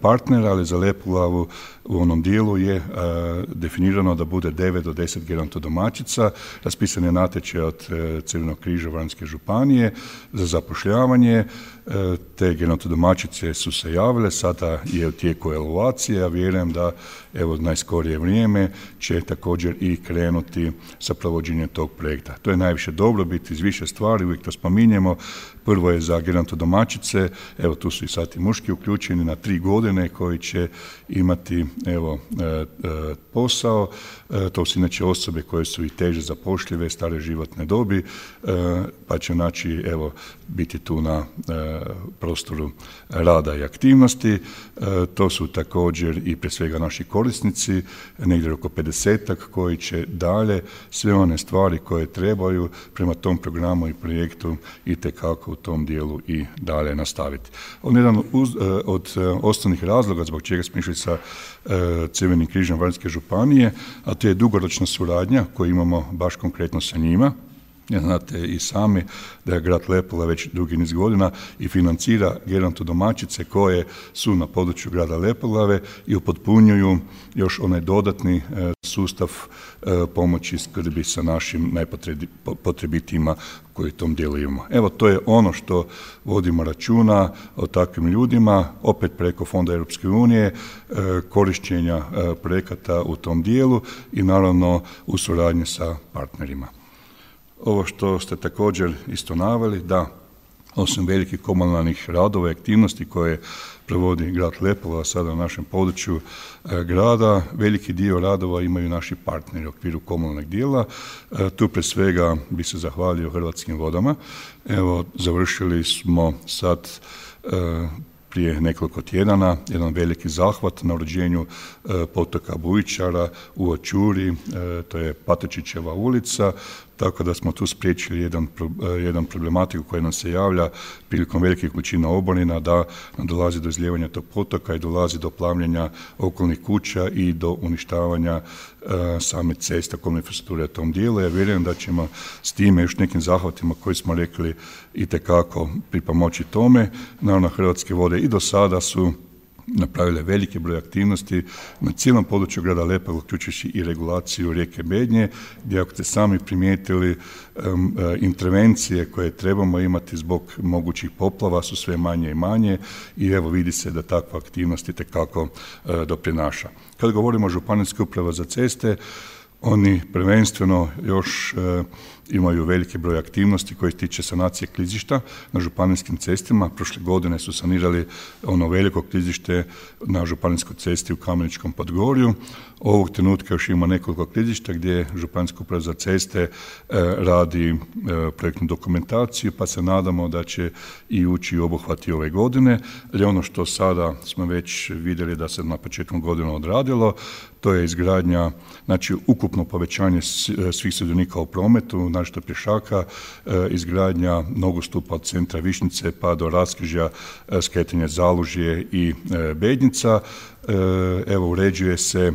partnera, ali za Lepoglavu u onom dijelu je definirano da bude devet do deset gerontodomaćica. Raspisan je natječaj od Crvenog križa Varaždinske županije za zapošljavanje. Te gerontodomaćice su se javile, sada je u tijeku evaluacije, ja vjerujem da evo najskorije vrijeme će također i krenuti sa provođenjem tog projekta. To je najviše dobrobit iz više stvari, uvijek to spominjemo. Prvo je za gerontodomaćice, evo tu su i sad i muški uključeni na tri godine koji će imati evo e, e, posao. E, to su inače osobe koje su i teže zapošljive, stare životne dobi, e, pa će znači evo biti tu na e, prostoru rada i aktivnosti. E, to su također i pre svega naši korisnici, negdje oko pedesetak koji će dalje sve one stvari koje trebaju prema tom programu i projektu itekako u tom dijelu i dalje nastaviti. On je jedan od osnovnih razloga zbog čega smo išli sa Crvenim križem Varaždinske županije, a to je dugoročna suradnja koju imamo baš konkretno sa njima. Znate i sami da je grad Lepoglava već dugi niz godina i financira gerontodomaćice koje su na području grada Lepoglave i upotpunjuju još onaj dodatni sustav pomoći i skrbi sa našim najpotrebitijima koji u tom dijelu imamo. Evo, to je ono što vodimo računa o takvim ljudima, opet preko Fonda Europske unije, korištenja projekata u tom dijelu i naravno u suradnji sa partnerima. Ovo što ste također isto naveli, da osim velikih komunalnih radova i aktivnosti koje provodi grad Lepoglava sada na našem području e, grada, veliki dio radova imaju naši partneri u okviru komunalnog dijela. E, tu pre svega bi se zahvalio Hrvatskim vodama. Evo, završili smo sad e, prije nekoliko tjedana jedan veliki zahvat na uređenju e, potoka Bujičara u Očuri, e, to je Patočićeva ulica, tako da smo tu spriječili jedan, jedan problematiku koja nam se javlja prilikom velikih količina oborina, da dolazi do izlijevanja tog potoka i dolazi do plavljenja okolnih kuća i do uništavanja uh, same ceste, komunalne infrastrukture u tom dijelu. Ja vjerujem da ćemo s time još nekim zahvatima koji smo rekli itekako pripomoći tome. Naravno, Hrvatske vode i do sada su napravile veliki broj aktivnosti na cijelom području grada Lepoglave, uključujući i regulaciju rijeke Bednje, gdje ako ste sami primijetili um, intervencije koje trebamo imati zbog mogućih poplava su sve manje i manje i evo vidi se da takva aktivnost itekako uh, doprinaša. Kad govorimo o Županijskoj upravi za ceste, oni prvenstveno još e, imaju veliki broj aktivnosti koji se tiče sanacije klizišta na županijskim cestima. Prošle godine su sanirali ono veliko klizište na županijskoj cesti u Kameničkom Podgorju. Ovog trenutka još ima nekoliko klizišta gdje Županijska uprava za ceste e, radi e, projektnu dokumentaciju, pa se nadamo da će i ući u obuhvati ove godine. Ali ono što sada smo već vidjeli da se na početku godine odradilo, to je izgradnja, znači ukupno povećanje svih sudionika u prometu, našto pješaka, izgradnja nogostupa od centra Višnjice pa do raskrižja skretanja Zalužje i Bednjica. Evo, uređuje se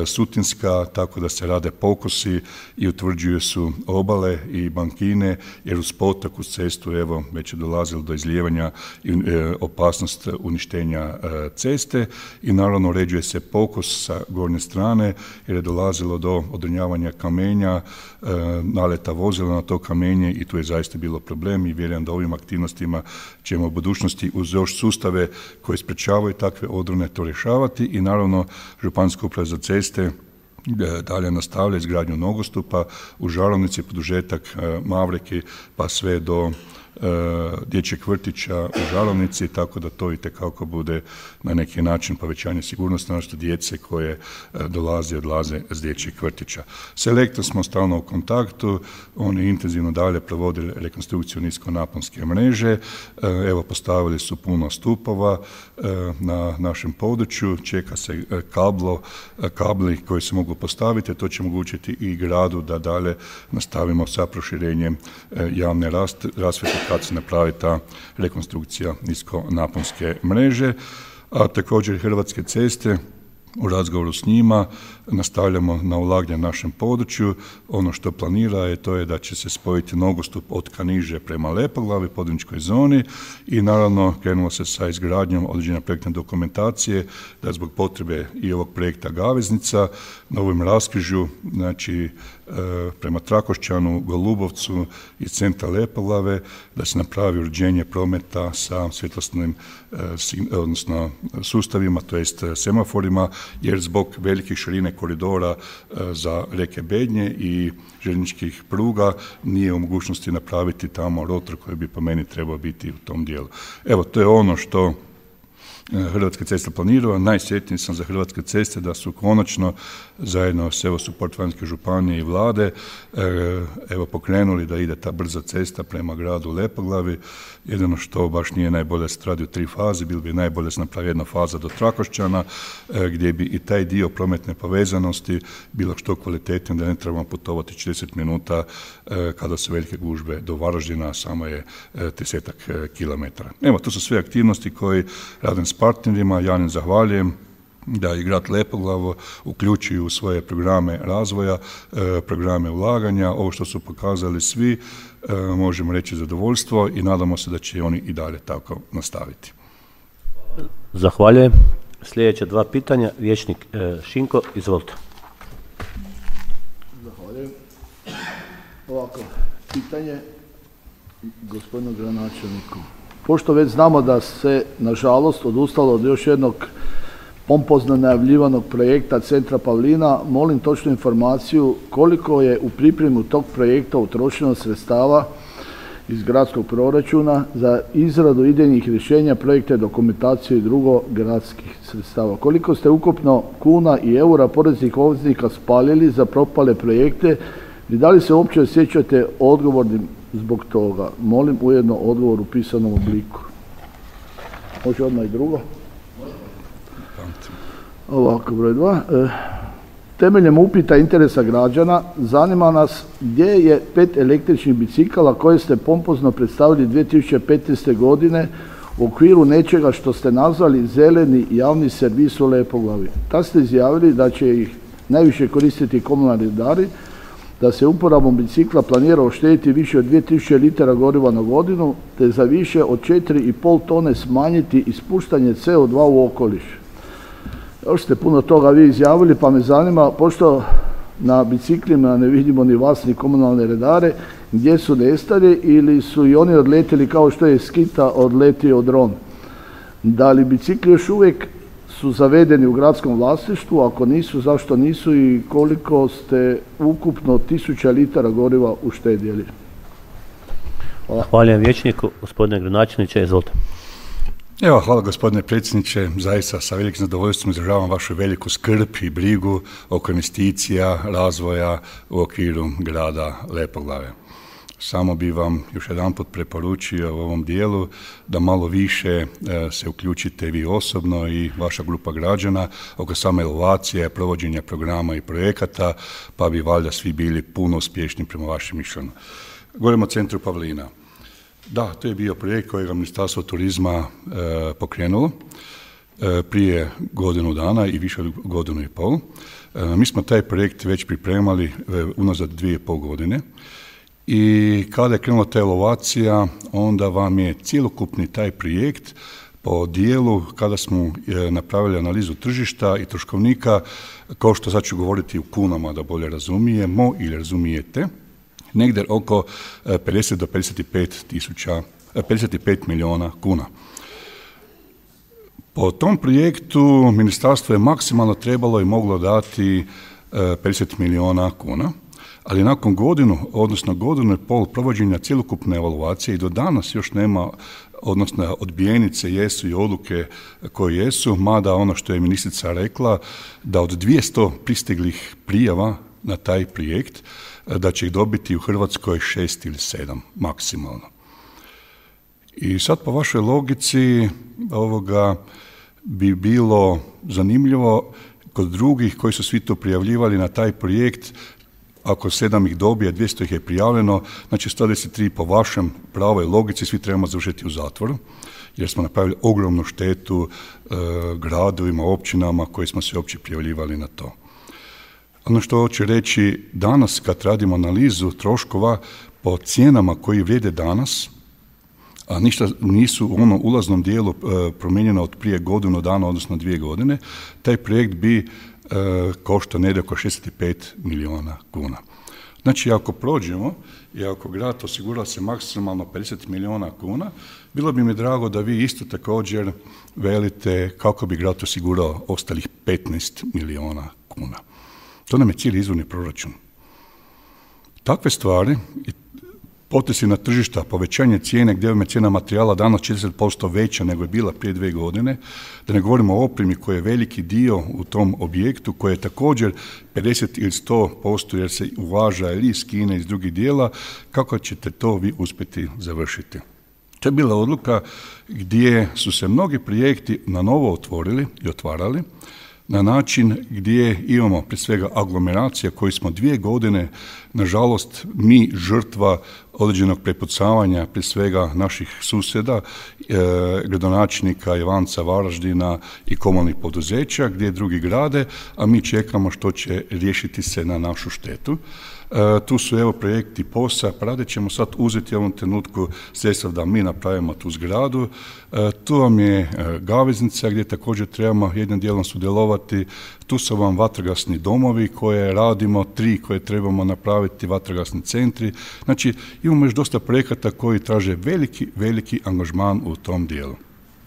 Sutinska, tako da se rade pokosi i utvrđuju su obale i bankine, jer uz potok, uz cestu, evo, već je dolazilo do izlijevanja i e, opasnost uništenja e, ceste i naravno uređuje se pokos sa gornje strane, jer je dolazilo do odrinjavanja kamenja, e, naleta vozila na to kamenje i tu je zaista bilo problem i vjerujem da ovim aktivnostima ćemo u budućnosti uz još sustave koji sprečavaju takve odrone to rješavati i naravno Županijska uprava za ceste dalje nastavlja izgradnju nogostupa u Žarovnici, produžetak Mavreki pa sve do dječjeg vrtića u Žarovnici, tako da to itekako bude na neki način povećanje sigurnosti naše djece koje dolaze i odlaze s dječjeg vrtića. S Elektrom smo stalno u kontaktu, oni intenzivno dalje provodili rekonstrukciju niskonaponske mreže, evo postavili su puno stupova na našem području, čeka se kablo, kabli koji se mogu postaviti, to će omogućiti i gradu da dalje nastavimo sa proširenjem javne rasvjete kad se napravi ta rekonstrukcija niskonaponske mreže, a također Hrvatske ceste u razgovoru s njima nastavljamo na ulaganje na našem području. Ono što planira je to je da će se spojiti nogostup od Kaniže prema Lepoglavi, područnoj zoni i naravno krenulo se sa izgradnjom određene projektne dokumentacije da zbog potrebe i ovog projekta Gaveznica na ovom raskrižju, znači prema Trakošćanu, Golubovcu i centra Lepoglave, da se napravi uređenje prometa sa svjetlosnim odnosno sustavima, to jest semaforima, jer zbog velike širine koridora za reke Bednje i željezničkih pruga nije u mogućnosti napraviti tamo rotor koji bi po meni trebao biti u tom dijelu. Evo, to je ono što Hrvatske ceste planiraju. Najsretniji sam za Hrvatske ceste da su konačno zajedno s evo Suport-Vanjske županije i vlade evo pokrenuli da ide ta brza cesta prema gradu Lepoglavi. Jedino što baš nije najbolje se radi u tri faze, bilo bi najbolje se napravi jedna faza do Trakošćana gdje bi i taj dio prometne povezanosti bilo što kvalitetnije, da ne trebamo putovati četrdeset minuta kada su velike gužve do Varaždina, samo je tridesetak kilometara. Evo, to su sve aktivnosti koje radim s partnerima, ja im zahvaljujem da i grad Lepoglavo uključuju u svoje programe razvoja, programe ulaganja. Ovo što su pokazali svi, možemo reći zadovoljstvo i nadamo se da će oni i dalje tako nastaviti. Zahvaljujem. Sljedeće dva pitanja, vijećnik Šinko, izvolite. Zahvaljujem. Ovako, pitanje gospodinu gradonačelniku. Pošto već znamo da se, nažalost, odustalo od još jednog pompozno najavljivanog projekta Centra Pavlina, molim točnu informaciju koliko je u pripremu tog projekta utrošeno sredstava iz gradskog proračuna za izradu idejnih rješenja, projekte, dokumentacije i drugo gradskih sredstava. Koliko ste ukupno kuna i eura poreznih obveznika spalili za propale projekte i da li se uopće osjećate odgovornim zbog toga? Molim ujedno odgovor u pisanom obliku. Može odmah i drugo? Ovako, broj dva. E, temeljem upita interesa građana zanima nas gdje je pet električnih bicikala koje ste pompozno predstavili dvije tisuće petnaeste. godine u okviru nečega što ste nazvali zeleni javni servis u Lepoglavi. Tad ste izjavili da će ih najviše koristiti komunalni redari, da se uporabom bicikla planira uštediti više od dvije tisuće litara goriva na godinu, te za više od četiri i pol tone smanjiti ispuštanje C O dva u okoliš. Još ste puno toga vi izjavili, pa me zanima, pošto na biciklima ne vidimo ni vas ni komunalne redare, gdje su nestali ili su i oni odletjeli kao što je skita odletio dron. Da li bicikli još uvijek su zavedeni u gradskom vlasništvu, ako nisu, zašto nisu i koliko ste ukupno tisuća litara goriva uštedjeli? Hvala. Hvala vijećniku, gospodine gradonačelniče, izvolite. Evo, hvala gospodine predsjedniče, zaista sa velikim zadovoljstvom izražavam vašu veliku skrb i brigu oko investicija, razvoja u okviru grada Lepoglave. Samo bi vam još jedanput preporučio u ovom dijelu da malo više e, se uključite vi osobno i vaša grupa građana oko same evaluacije, provođenja programa i projekata, pa bi valjda svi bili puno uspješni prema vašem mišljenju. Govorimo o Centru Pavlina. Da, to je bio projekt kojeg Ministarstvo turizma e, pokrenulo e, prije godinu dana i više od godinu i pol. E, mi smo taj projekt već pripremali e, unazad dvije i pol godine. I kada je krenula ta evaluacija, onda vam je cjelokupni taj projekt po dijelu, kada smo napravili analizu tržišta i troškovnika, kao što sad ću govoriti u kunama da bolje razumijemo ili razumijete, negdje oko pedeset do pedeset pet tisuća, pedeset pet milijuna kuna. Po tom projektu ministarstvo je maksimalno trebalo i moglo dati pedeset milijuna kuna. Ali nakon godinu, odnosno godinu i pol provođenja cjelokupne evaluacije i do danas još nema, odnosno odbijenice jesu i odluke koje jesu, mada ono što je ministrica rekla, da od dvjesto pristiglih prijava na taj projekt, da će ih dobiti u Hrvatskoj šest ili sedam maksimalno. I sad po vašoj logici ovoga bi bilo zanimljivo kod drugih koji su svi to prijavljivali na taj projekt, ako sedam ih dobije, dvjesto ih je prijavljeno, znači sto deset tri po vašem pravoj logici svi trebamo završiti u zatvoru, jer smo napravili ogromnu štetu e, gradovima, općinama koji smo se uopće prijavljivali na to. Ono što hoću reći, danas kad radimo analizu troškova po cijenama koji vrijede danas, a ništa nisu u onom ulaznom dijelu e, promijenjeno od prije godinu dana, odnosno dvije godine, taj projekt bi e, koštao negdje oko šezdeset pet milijuna kuna. Znači, ako prođemo i ako grad osigura se maksimalno pedeset milijuna kuna, bilo bi mi drago da vi isto također velite kako bi grad osigurao ostalih petnaest milijuna kuna. To nam je cijeli izvorni proračun. Takve stvari, potresi na tržišta, povećanje cijene, gdje je cijena materijala danas četrdeset posto veća nego je bila prije dvije godine, da ne govorimo o opremi koji je veliki dio u tom objektu, koji je također pedeset ili sto posto jer se uvaža ili iz Kine, iz drugih dijela, kako ćete to vi uspjeti završiti? To je bila odluka gdje su se mnogi projekti na novo otvorili i otvarali, na način gdje imamo prije svega aglomeracija koji smo dvije godine, nažalost, mi žrtva određenog prepucavanja prije svega naših susjeda, e, gradonačelnika Ivanca, Varaždina i komunalnih poduzeća gdje drugi grade, a mi čekamo što će riješiti se na našu štetu. E, tu su evo projekti POS-a, pa rade ćemo sad uzeti u ovom trenutku sredstva da mi napravimo tu zgradu. E, tu vam je e, Gaveznica gdje također trebamo jednim dijelom sudjelovati. Tu su vam vatrogasni domovi koje radimo, tri koje trebamo napraviti, vatrogasni centri. Znači imamo još dosta projekata koji traže veliki, veliki angažman u tom dijelu.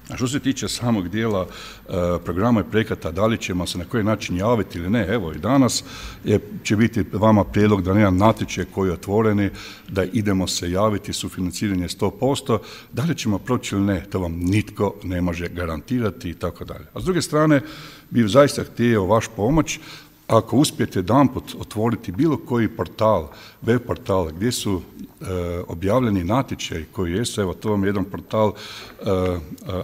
A što se tiče samog dijela e, programa i projekata, da li ćemo se na koji način javiti ili ne, evo i danas je, će biti vama prijedlog da jedan natječaj koji je otvoreni, da idemo se javiti, sufinanciranje sto posto, da li ćemo proći ili ne, to vam nitko ne može garantirati i tako dalje. A s druge strane, bi zaista htio vaš pomoć, ako uspijete jedanput otvoriti bilo koji portal, web portal gdje su e, objavljeni natječaji koji jesu, evo to vam je jedan portal e,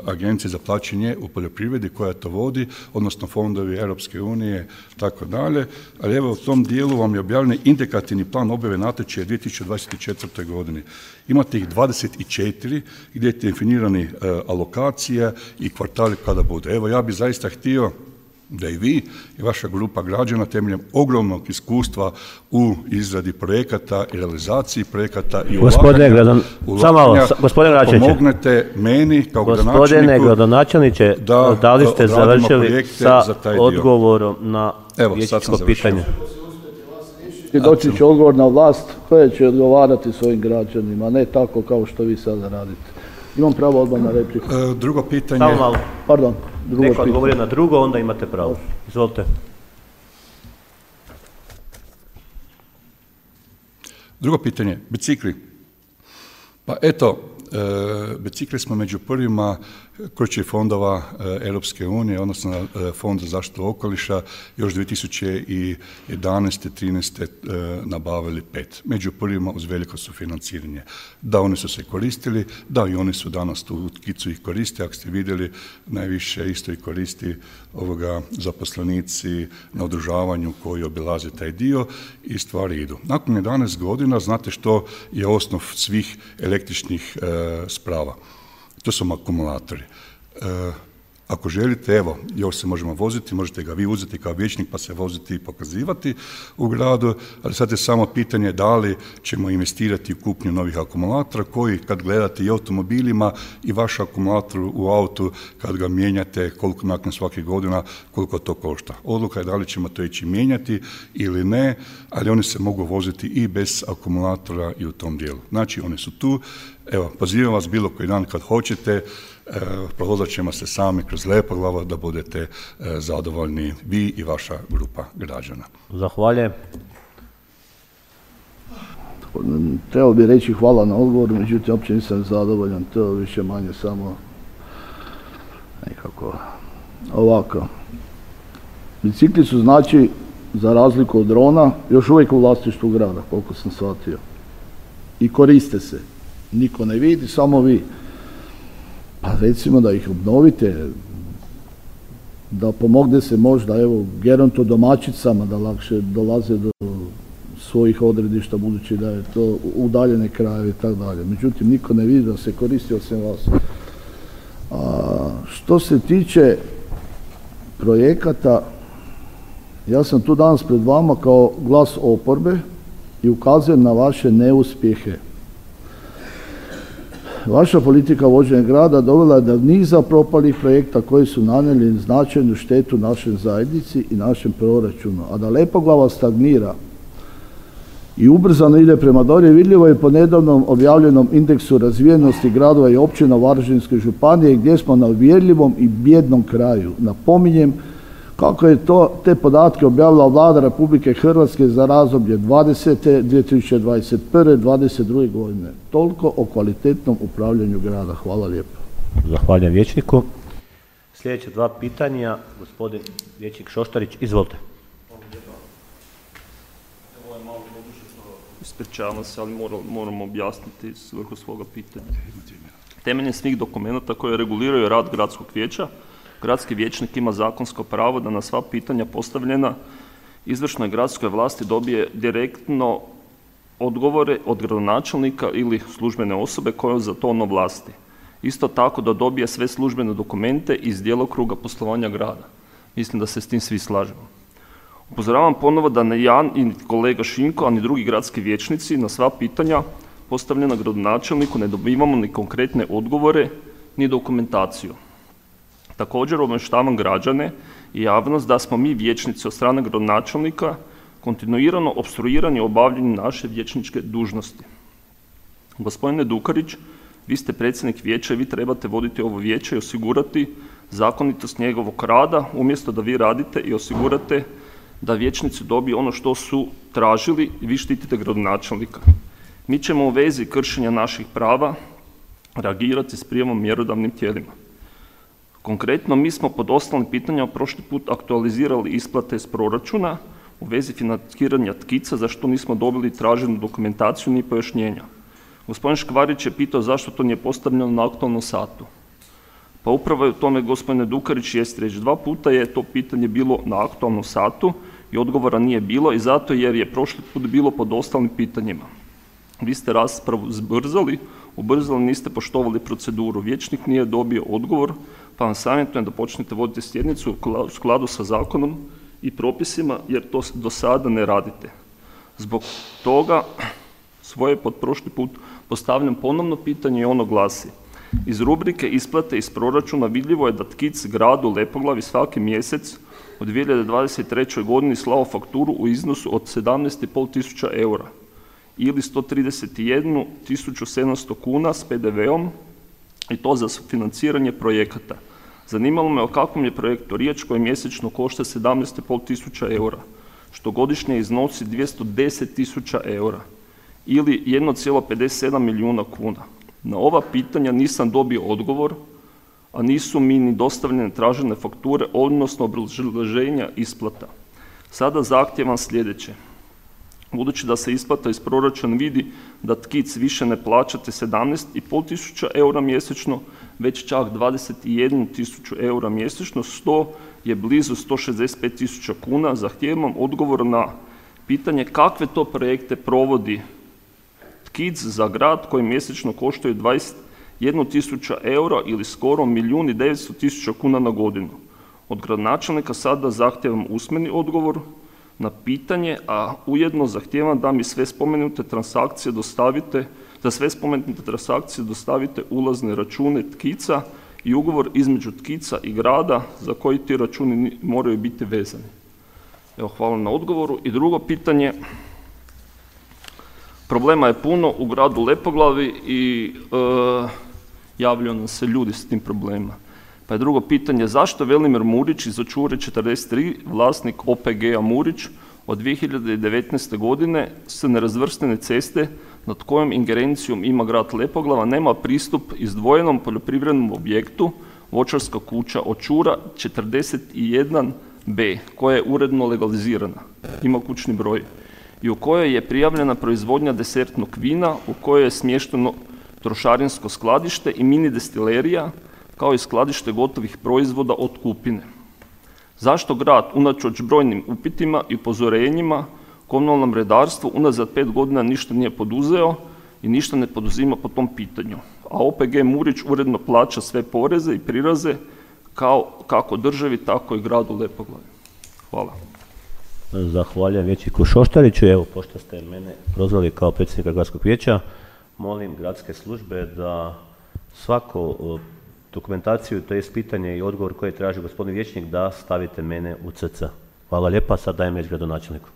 Agencije za plaćanje u poljoprivredi koja to vodi, odnosno fondovi Europske unije, tako dalje, ali evo u tom dijelu vam je objavljen indikativni plan objave natječaja dvije tisuće dvadeset četvrte. godine. Imate ih dvadeset četiri gdje je definirani e, alokacija i kvartali kada bude. Evo ja bih zaista htio da i vi i vaša grupa građana temeljem ogromnog iskustva u izradi projekata i realizaciji projekata i gospodine ulaganja, ulaganja gospodine pomognete meni kao gradonačelniku. Gospodine gradonačelniče, da, da li ste završili sa odgovorom na vijećničko pitanje? I doći će odgovor na vlast koja će odgovarati svojim građanima, ne tako kao što vi sada radite. Imam pravo odmah na repliku. E, drugo pitanje... Samo malo. Pardon. Drugo Neko odgovori na drugo, onda imate pravo. Izvolite. Drugo pitanje, bicikli. Pa eto, e, bicikli smo među prvima kroz fondova e, Europske unije, odnosno e, Fond za zaštitu okoliša, još dvije tisuće jedanaeste. trinaeste. E, nabavili pet. Među prvima uz veliko sufinanciranje. Da, oni su se koristili, da i oni su danas tu kicu ih koriste, ako ste vidjeli, najviše isto i koristi ovoga zaposlenici na održavanju koji obilaze taj dio i stvari idu. Nakon jedanaest godina, znate što je osnov svih električnih e, sprava. To su akumulatori. E, ako želite, evo, još se možemo voziti, možete ga vi uzeti kao vijećnik pa se voziti i pokazivati u gradu, ali sad je samo pitanje da li ćemo investirati u kupnju novih akumulatora koji kad gledate i automobilima i vaš akumulator u autu kad ga mijenjate koliko nakon svake godina, koliko to košta. Odluka je da li ćemo to ići mijenjati ili ne, ali oni se mogu voziti i bez akumulatora i u tom dijelu. Znači, oni su tu. Evo, pozivam vas bilo koji dan kad hoćete, e, provozat ćemo se sami kroz Lepoglava da budete e, zadovoljni vi i vaša grupa građana. Zahvaljujem. Trebao bi reći hvala na odgovor, međutim, uopće nisam zadovoljan, to više manje samo nekako ovako. Bicikli su znači, za razliku od drona, još uvijek u vlasništvu grada, koliko sam shvatio. I koriste se. Niko ne vidi, samo vi. Pa recimo da ih obnovite, da pomogne se možda, evo, geronto domaćicama da lakše dolaze do svojih odredišta, budući da je to udaljene krajeve i tako dalje. Međutim, niko ne vidi da se koristi osim vas. A što se tiče projekata, ja sam tu danas pred vama kao glas oporbe i ukazujem na vaše neuspjehe. Vaša politika vođenja grada dovela je do niza propalih projekta koji su nanijeli značajnu štetu našoj zajednici i našem proračunu, a da Lepoglava stagnira i ubrzano ide prema dolje vidljivo je po nedavnom objavljenom indeksu razvijenosti gradova i općina Varaždinske županije gdje smo na uvjerljivom i bijednom kraju. Napominjem kako je to te podatke objavila Vlada Republike Hrvatske za razdoblje dvadesete, dvije tisuće dvadeset prve, dvadeset druge godine. Toliko o kvalitetnom upravljanju grada. Hvala lijepo. Zahvaljujem vijećniku. Sljedeće dva pitanja, gospodin vijećnik Šoštarić, izvolite. Ispričavam se, ali moram, moram objasniti svrhu svoga pitanja. Temeljem svih dokumenata koje reguliraju rad gradskog vijeća, gradski vijećnik ima zakonsko pravo da na sva pitanja postavljena izvršnoj gradskoj vlasti dobije direktno odgovore od gradonačelnika ili službene osobe koje za to ono vlasti. Isto tako da dobije sve službene dokumente iz djelokruga poslovanja grada. Mislim da se s tim svi slažemo. Upozoravam ponovo da ne ja i kolega Šinko, a ni drugi gradski vijećnici na sva pitanja postavljena gradonačelniku ne dobivamo ni konkretne odgovore ni dokumentaciju. Također obavještavam građane i javnost da smo mi vijećnici od strane gradonačelnika kontinuirano opstruirani u obavljanju naše vijećničke dužnosti. Gospodine Dukarić, vi ste predsjednik vijeća i vi trebate voditi ovo vijeće i osigurati zakonitost njegovog rada, umjesto da vi radite i osigurate da vijećnici dobiju ono što su tražili i vi štitite gradonačelnika. Mi ćemo u vezi kršenja naših prava reagirati s prijavom mjerodavnim tijelima. Konkretno, mi smo pod ostalim pitanjima prošli put aktualizirali isplate iz proračuna u vezi financiranja tkica, za što nismo dobili traženu dokumentaciju ni pojašnjenja. Gospodin Škvarić je pitao zašto to nije postavljeno na aktualnom satu. Pa upravo je u tome, gospodine Dukarić, jest reći. Dva puta je to pitanje bilo na aktualnom satu i odgovora nije bilo i zato jer je prošli put bilo pod ostalim pitanjima. Vi ste raspravu zbrzali, ubrzali, niste poštovali proceduru. Vijećnik nije dobio odgovor, pa vam savjetujem da počnete voditi sjednicu u skladu sa zakonom i propisima, jer to do sada ne radite. Zbog toga svoje pod prošli put postavljam ponovno pitanje i ono glasi. Iz rubrike isplate iz proračuna vidljivo je da Tkic gradu Lepoglavi svaki mjesec u dvije hiljade dvadeset trećoj godini slao fakturu u iznosu od sedamnaest i pol tisuća eura ili sto trideset jednu tisuću sedamsto kuna s pe de veom i to za financiranje projekata. Zanimalo me o kakvom je projektu riječ koji mjesečno košta sedamnaest i pol tisuća eura, što godišnje iznosi dvjesto deset tisuća eura ili jedan zarez pedeset sedam milijuna kuna. Na ova pitanja nisam dobio odgovor, a nisu mi ni dostavljene tražene fakture, odnosno obrazloženja isplata. Sada zahtijevam sljedeće. Budući da se isplata iz proračuna vidi da Tkic više ne plaćate sedamnaest i pol tisuća eura mjesečno, već čak dvadeset jednu tisuću eura mjesečno, što je blizu sto šezdeset pet tisuća kuna, zahtijevam odgovor na pitanje kakve to projekte provodi Tkic za grad koji mjesečno koštaju dvadeset jednu tisuću eura ili skoro milijun i devetsto tisuća kuna na godinu. Od gradonačelnika sada zahtijevam usmeni odgovor na pitanje, a ujedno zahtijevam da mi sve spomenute transakcije dostavite, za sve spomenute transakcije dostavite ulazne račune Tkica i ugovor između Tkica i grada za koji ti računi moraju biti vezani. Evo, hvala na odgovoru. I drugo pitanje, problema je puno u gradu Lepoglavi i e, javljaju nam se ljudi s tim problemima. Pa je drugo pitanje, zašto Velimir Murić iz Očure četrdeset tri, vlasnik o pe ge a Murić, od dvije hiljade devetnaeste. godine se nerazvrstane ceste nad kojom ingerencijom ima grad Lepoglava nema pristup izdvojenom poljoprivrednom objektu voćarska kuća Očura četrdeset jedan be koja je uredno legalizirana, ima kućni broj i u kojoj je prijavljena proizvodnja desertnog vina, u kojoj je smješteno trošarinsko skladište i mini destilerija, kao i skladište gotovih proizvoda od kupine. Zašto grad, unatoč brojnim upitima i upozorenjima, komunalnom redarstvu unazad pet godina ništa nije poduzeo i ništa ne poduzima po tom pitanju? a O P G Murić uredno plaća sve poreze i priraze kao, kako državi, tako i gradu Lepoglavi. Hvala. Zahvaljujem vijećniku Šoštariću. Evo, pošto ste mene prozvali kao predsjednika gradskog vijeća, molim gradske službe da svaku dokumentaciju, to je pitanje i odgovor koje traži gospodin vijećnik, da stavite mene u C C. Hvala lijepa, sad dajem riječ gradonačelniku.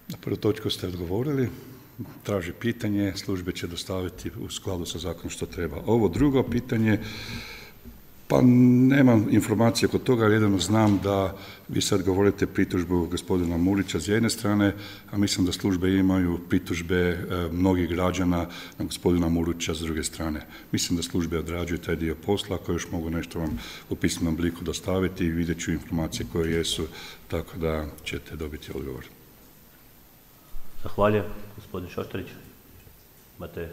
Na prvu točku ste odgovorili, traži pitanje, službe će dostaviti u skladu sa zakonom što treba. Ovo drugo pitanje, pa nemam informacije kod toga, ali jedino znam da vi sad govorite pritužbu gospodina Murića s jedne strane, a mislim da službe imaju pritužbe e, mnogih građana na gospodina Murića s druge strane. Mislim da službe odrađuju taj dio posla, ako još mogu nešto vam u pismenom obliku dostaviti i vidjet ću informacije koje jesu, tako da ćete dobiti odgovor. Zahvaljujem, gospodin Šoštarić. Imate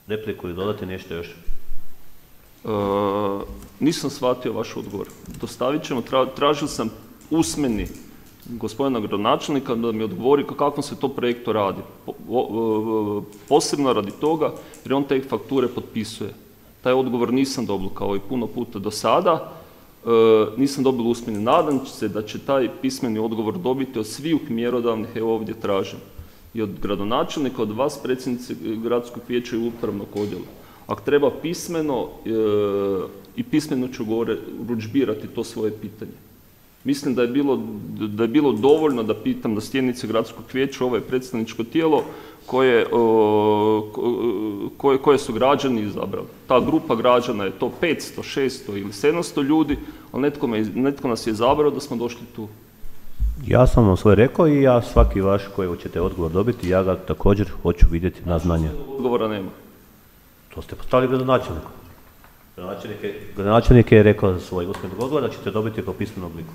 repliku ili dodati nešto još? E, nisam shvatio vaš odgovor. Dostavit ćemo, tra, tražio sam usmeni gospodina gradonačelnika da mi odgovori kakvom se to projektu radi. Po, o, posebno radi toga jer on te fakture potpisuje. Taj odgovor nisam dobio kao i puno puta do sada. E, nisam dobio usmeni. Nadam se da će taj pismeni odgovor dobiti od svih mjerodavnih, evo ovdje tražim. I od gradonačelnika, od vas predsjednice gradskog vijeća i upravnog odjela. Ako treba pismeno e, i pismeno ću gore urudžbirati to svoje pitanje. Mislim da je bilo, da je bilo dovoljno da pitam na sjednici gradskog vijeća, ovo je predstavničko tijelo koje, o, koje, koje su građani izabrali. Ta grupa građana je to petsto, šesto ili sedamsto ljudi, ali netko, me, netko nas je izabrao da smo došli tu. Ja sam vam svoje rekao i ja svaki vaš koji ćete odgovor dobiti, ja ga također hoću vidjeti na znanje. Odgovora nema. To ste postavili gradonačelniku. Gradonačelnik je, gradonačelnik je rekao za svoj usmeni odgovor da ćete dobiti po pismenom obliku.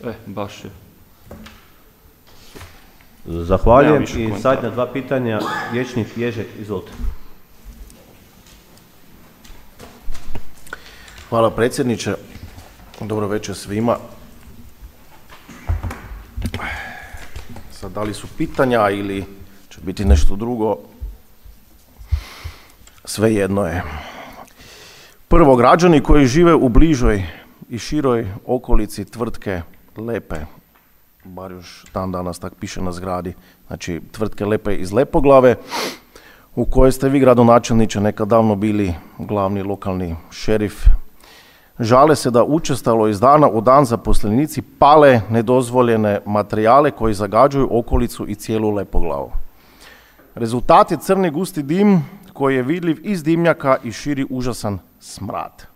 E, baš je. Zahvaljujem i zadnja dva pitanja. Vijećnik Ježek, izvolite. Hvala predsjedniče. Dobro večer svima. Sad, da li su pitanja ili će biti nešto drugo, svejedno je. Prvo, građani koji žive u bližoj i široj okolici tvrtke Lepe, bar još dan danas tak piše na zgradi, znači tvrtke Lepe iz Lepoglave, u kojoj ste vi, gradonačelniče, nekad davno bili glavni lokalni šerif, žale se da učestalo iz dana u dan zaposlenici pale nedozvoljene materijale koji zagađuju okolicu i cijelu Lepoglavu. Rezultat je crni gusti dim koji je vidljiv iz dimnjaka i širi užasan smrad.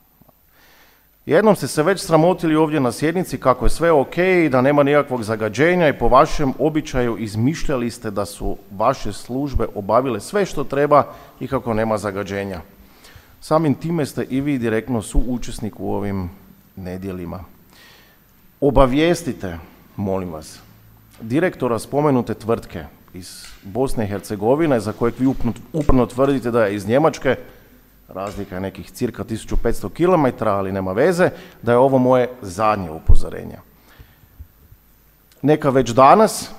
Jednom ste se već sramotili ovdje na sjednici kako je sve ok i da nema nikakvog zagađenja i po vašem običaju izmišljali ste da su vaše službe obavile sve što treba i kako nema zagađenja. Samim time ste i vi direktno suučesnik u ovim nedjelima. Obavijestite, molim vas, direktora spomenute tvrtke iz Bosne i Hercegovine, za kojeg vi uporno tvrdite da je iz Njemačke, razlika je nekih cirka tisuću petsto kilometara, ali nema veze, da je ovo moje zadnje upozorenje. Neka već danas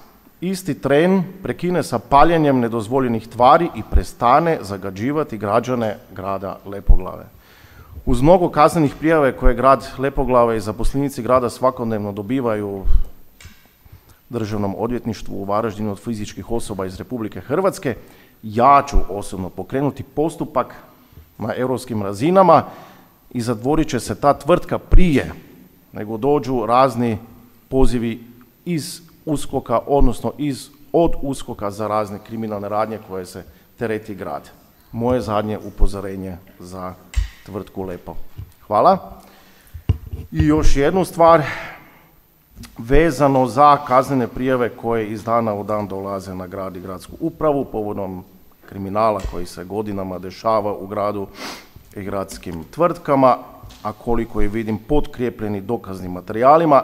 isti tren prekine sa paljenjem nedozvoljenih tvari i prestane zagađivati građane grada Lepoglave. Uz mnogo kaznenih prijave koje grad Lepoglave i zaposlenici grada svakodnevno dobivaju Državnom odvjetništvu u Varaždinu od fizičkih osoba iz Republike Hrvatske, ja ću osobno pokrenuti postupak na europskim razinama i zatvorit će se ta tvrtka prije nego dođu razni pozivi iz uskoka, odnosno iz, od uskoka za razne kriminalne radnje koje se tereti grad. Moje zadnje upozorenje za tvrtku Lepo. Hvala. I još jednu stvar, vezano za kaznene prijave koje iz dana u dan dolaze na grad i gradsku upravu povodom kriminala koji se godinama dešava u gradu i gradskim tvrtkama, a koliko je vidim potkrijepljeni dokaznim materijalima.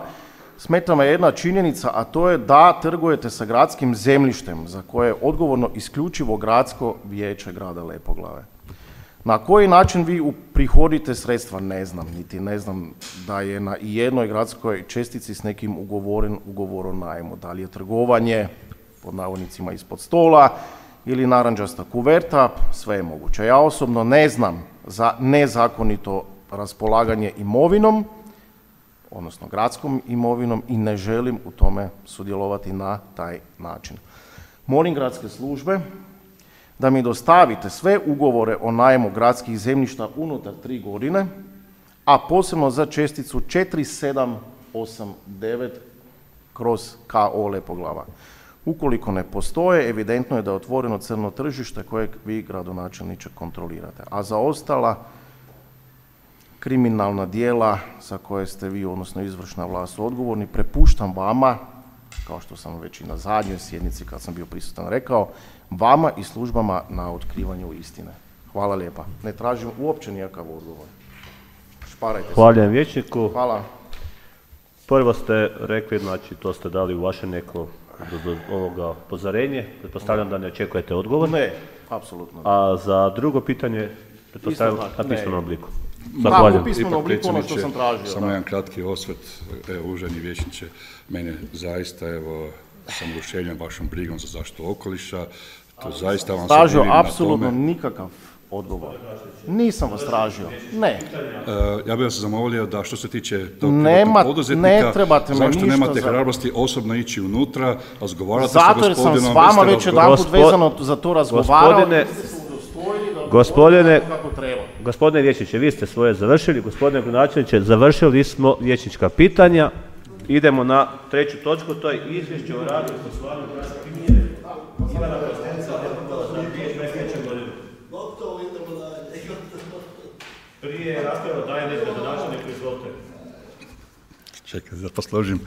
Smeta me jedna činjenica, a to je da trgujete sa gradskim zemljištem za koje je odgovorno isključivo gradsko vijeće grada Lepoglave. Na koji način vi uprihodite sredstva, ne znam, niti ne znam da je na jednoj gradskoj čestici s nekim ugovoren ugovor o najmu. Da li je trgovanje, pod navodnicima, ispod stola, ili naranđasta kuverta, sve je moguće. Ja osobno ne znam za nezakonito raspolaganje imovinom, odnosno gradskom imovinom, i ne želim u tome sudjelovati na taj način. Molim gradske službe da mi dostavite sve ugovore o najmu gradskih zemljišta unutar tri godine, a posebno za česticu četiri sedam osam devet kroz K O Lepoglava. Ukoliko ne postoje, evidentno je da je otvoreno crno tržište kojeg vi, gradonačelniče, kontrolirate. A za ostala kriminalna djela za koje ste vi, odnosno izvršna vlast, odgovorni, prepuštam vama, kao što sam već i na zadnjoj sjednici kad sam bio prisutan rekao, vama i službama na otkrivanju istine. Hvala lijepa. Ne tražim uopće nijakav odgovor. Šparajte se. Hvala vijećniku. Hvala. Prvo ste rekli, znači to ste dali u vaše neko do, do ovoga upozorenje. Pretpostavljam da ne očekujete odgovor. Ne, apsolutno. A za drugo pitanje, pretpostavljam na pismenom obliku. Zahvaljujem. U pismenom obliku ono što sam tražio. Samo jedan kratki osvrt, evo, uvaženi vijećniče, mene zaista, evo, sam oduševljen vašom brigom za zaštitu okoliša. To zaista vam se tražio divim na apsolutno tome. nikakav odgovor. Nisam vas tražio. Ne. Uh, ja bih vas zamolio da što se tiče tog Nema, poduzetnika, ne trebate me zašto ništa nemate za... hrabrosti osobno ići unutra, razgovarati sa Zato jer sam gospodinom. s vama vi ste već razgovarali- jedanput Gospod- vezano za to razgovarao. Gospodine, i vi ste se udostojili da gospodine, odgovorite kako treba. gospodine vijećniče, vi ste svoje završili. Gospodine gradonačelniče, završili smo vijećnička pitanja. Idemo na treću točku, to je izvješće o radu i poslovanju gradske knjige. Ivana Kostenca, Lepoglava za dvije tisuće dvadeset treće godine. Prije rasprava daje nekada gradonačelniku, izvolite. Čekaj, da posložim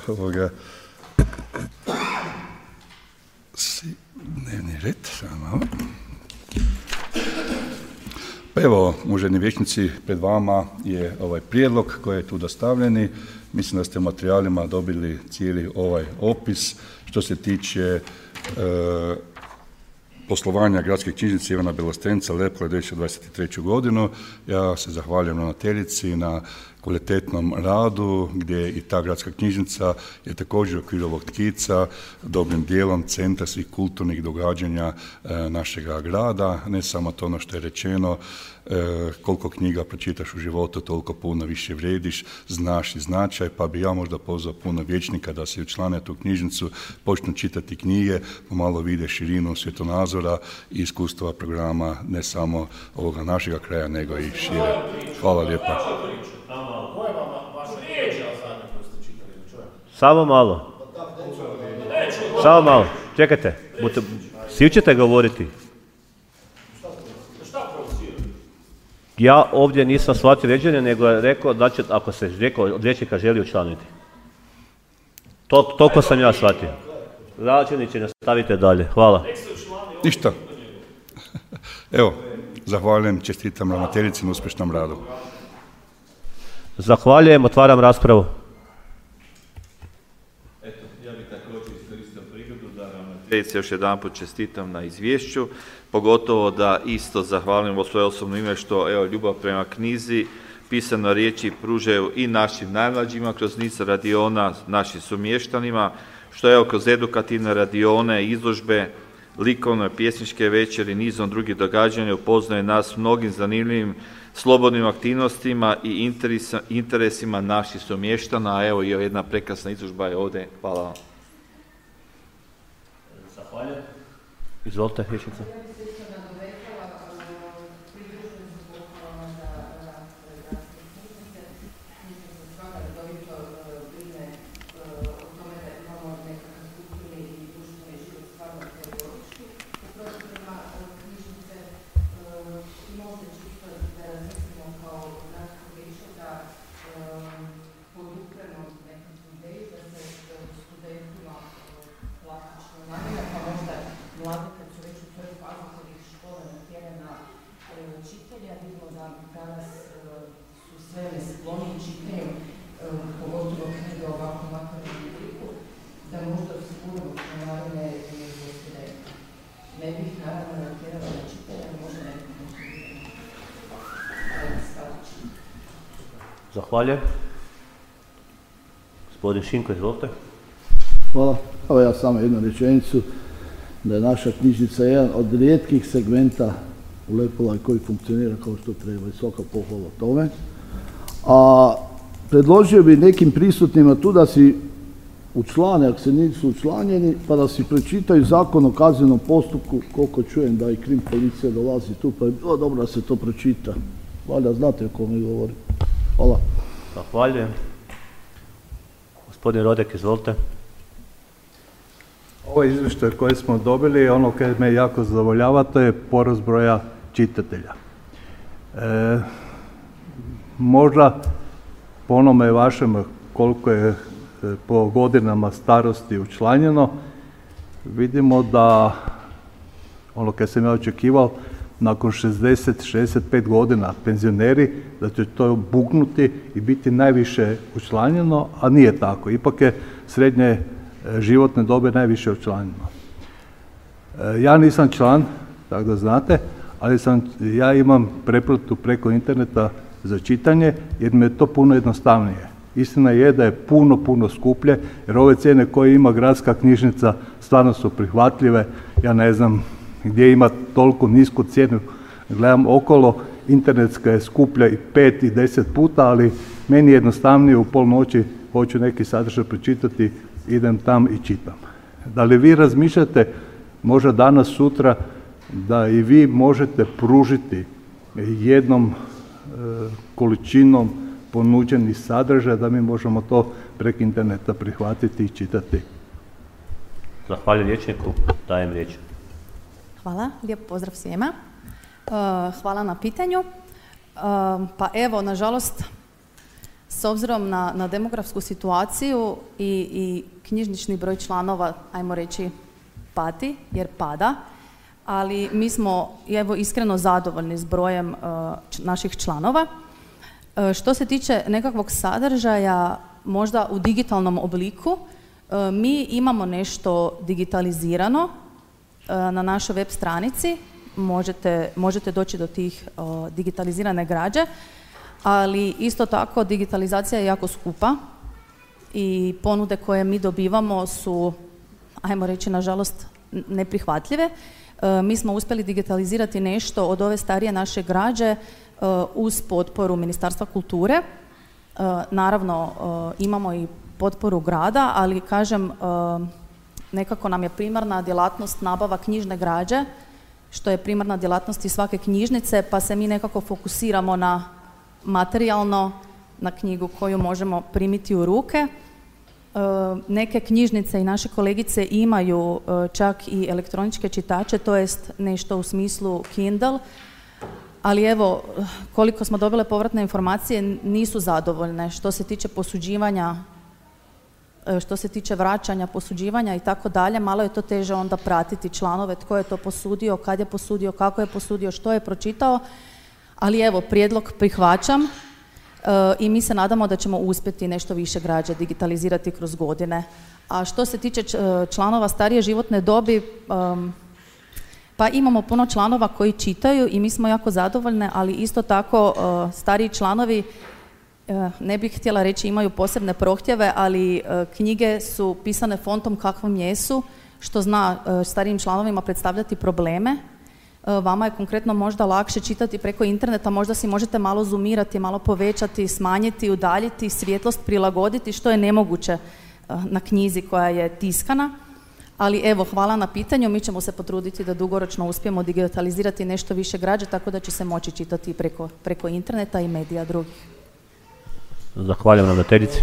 ovoga. Si, dnevni red, samo malo. Pa evo, uvaženi vijećnici, pred vama je ovaj prijedlog koji je tu dostavljeni. Mislim da ste u materijalima dobili cijeli ovaj opis što se tiče e, poslovanja gradske knjižnice Ivana Belostenca Lepoglava dvije tisuće dvadeset treću godinu. Ja se zahvaljujem ravnateljici na kvalitetnom radu gdje i ta gradska knjižnica je također u okviru ovog tkica dobrim dijelom centar svih kulturnih događanja e, našega grada. Ne samo to ono što je rečeno, e, koliko knjiga pročitaš u životu, toliko puno više vrijediš, znaš i značaj, pa bi ja možda pozvao puno vijećnika da se učlane tu knjižnicu, počnu čitati knjige, pomalo vide širinu svjetonazora i iskustava programa ne samo ovoga našega kraja, nego i šire. Hvala lijepa. Samo malo. Samo malo. Čekajte. Bute, svi ćete govoriti. Ja ovdje nisam shvatio ređenje, nego je rekao da će, ako se rekao od vijećnika želi učlaniti. To, toliko sam ja shvatio. Gradonačelniče, nastavite dalje. Hvala. Ništa. Evo, zahvaljujem, čestitam ravnateljici na uspješnom radu. Zahvaljujem, otvaram raspravu. Eto, ja bih također iskoristio prigodu da ravnateljici još jedanput čestitam na izvješću, pogotovo da isto zahvalim u svoje osobno ime što, evo, ljubav prema knjizi, pisano riječi pružaju i našim najmlađima kroz niz radiona, našim sumještanima, što evo kroz edukativne radione, izložbe, likovne, pjesničke večeri, nizom drugih događanja upoznaje nas mnogim zanimljivim slobodnim aktivnostima i interesa, interesima naših sumještana, a evo i jedna prekrasna izložba je ovdje. Hvala vam. Zahvaljujem. Izvolite, vijećnica. Zahvaljujem. Gospodin Šinko, izvolite. Hvala. Evo ja samo jednu rečenicu. da je naša knjižnica jedan od rijetkih segmenta u Lepoglavi koji funkcionira kao što treba i svaka pohvala tome. A predložio bi nekim prisutnima tu da si učlane, ako se nisu učlanjeni, pa da si pročitaju Zakon o kaznenom postupku, koliko čujem da i krim policija dolazi tu, pa je bilo dobro da se to pročita. Valjda znate o kome govorim. Hvala. Zahvaljujem. Gospodin Rodek, izvolite. Ovo izvještaj koje smo dobili, ono koje me jako zadovoljava, to je porast broja čitatelja. E, možda po onome vašem koliko je e, po godinama starosti učlanjeno, vidimo da ono koje sam ja očekivao, nakon šezdeset do šezdeset pet godina penzioneri, da će to buknuti i biti najviše učlanjeno, a nije tako. Ipak je srednje životne dobe najviše učlanjeno. Ja nisam član, tako da znate, ali sam, ja imam pretplatu preko interneta za čitanje, jer mi je to puno jednostavnije. Istina je da je puno, puno skuplje, jer ove cijene koje ima gradska knjižnica stvarno su prihvatljive. Ja ne znam gdje ima toliko nisku cijenu, gledam okolo, internetska je skuplja i pet i deset puta, ali meni je jednostavnije u pol noći, hoću neki sadržaj pročitati, idem tam i čitam. Da li vi razmišljate možda danas, sutra, da i vi možete pružiti jednom e, količinom ponuđeni sadržaj, da mi možemo to preko interneta prihvatiti i čitati? Zahvaljujem liječniku, dajem riječ. Hvala, lijep pozdrav svima. Hvala na pitanju. Pa evo, nažalost, s obzirom na, na demografsku situaciju i, i knjižnični broj članova, ajmo reći, pati, jer pada, ali mi smo evo iskreno zadovoljni s brojem uh, naših članova. Uh, što se tiče nekakvog sadržaja, možda u digitalnom obliku, uh, mi imamo nešto digitalizirano uh, na našoj web stranici, možete, možete doći do tih uh, digitalizirane građe, ali isto tako digitalizacija je jako skupa i ponude koje mi dobivamo su, ajmo reći, nažalost, neprihvatljive. E, mi smo uspjeli digitalizirati nešto od ove starije naše građe e, uz potporu Ministarstva kulture. E, naravno, e, imamo i potporu grada, ali kažem, e, nekako nam je primarna djelatnost nabava knjižne građe, što je primarna djelatnost i svake knjižnice, pa se mi nekako fokusiramo na materijalno, na knjigu koju možemo primiti u ruke. E, neke knjižnice i naše kolegice imaju e, čak i elektroničke čitače, to jest nešto u smislu Kindle, ali evo, koliko smo dobile povratne informacije, nisu zadovoljne što se tiče posuđivanja, e, što se tiče vraćanja, posuđivanja i tako dalje. Malo je to teže onda pratiti članove, tko je to posudio, kad je posudio, kako je posudio, što je pročitao, ali evo, prijedlog prihvaćam. I mi se nadamo da ćemo uspjeti nešto više građe digitalizirati kroz godine. A što se tiče članova starije životne dobi, um, pa imamo puno članova koji čitaju i mi smo jako zadovoljne, ali isto tako uh, stariji članovi, uh, ne bih htjela reći imaju posebne prohtjeve, ali uh, knjige su pisane fontom kakvom jesu, što zna uh, starijim članovima predstavljati probleme. Vama je konkretno možda lakše čitati preko interneta, možda si možete malo zoomirati, malo povećati, smanjiti, udaljiti, svjetlost prilagoditi, što je nemoguće na knjizi koja je tiskana. Ali evo, hvala na pitanju, mi ćemo se potruditi da dugoročno uspijemo digitalizirati nešto više građe, tako da će se moći čitati preko, preko interneta i medija drugih. Zahvaljujem ravnateljici.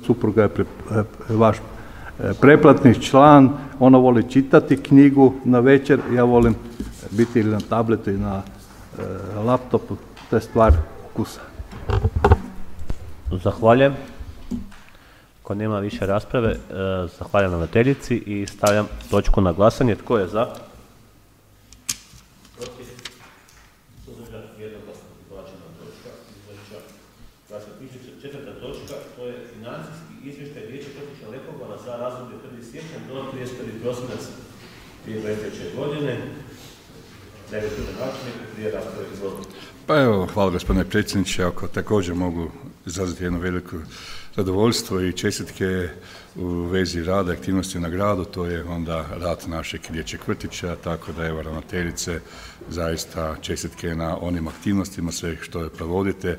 Supruga je pre, vaš preplatni član, ona voli čitati knjigu na večer, ja volim biti ili na tabletu i na e, laptopu, to je stvar ukusa. Zahvaljujem. Ako nema više rasprave, e, zahvaljujem ravnateljici i stavljam točku na glasanje. Tko je za? Protiv? Suzdržan? Jednoglasno prihvaćena točka. Četvrta točka, to je financijski izvještaj Vijeća Krtića Lepoglava za razdoblje prvi siječanj do trideset prvi prosinac dvije tisuće dvadeset treće godine. Dajem načelniku prije rasprave, izvolite. Pa evo, hvala gospodine predsjedniče. Ako također mogu izraziti jedno veliko zadovoljstvo i čestitke u vezi rada i aktivnosti na gradu, to je onda rad našeg dječjeg vrtića, tako da evo ravnateljice, zaista čestitke na onim aktivnostima, sve što je provodite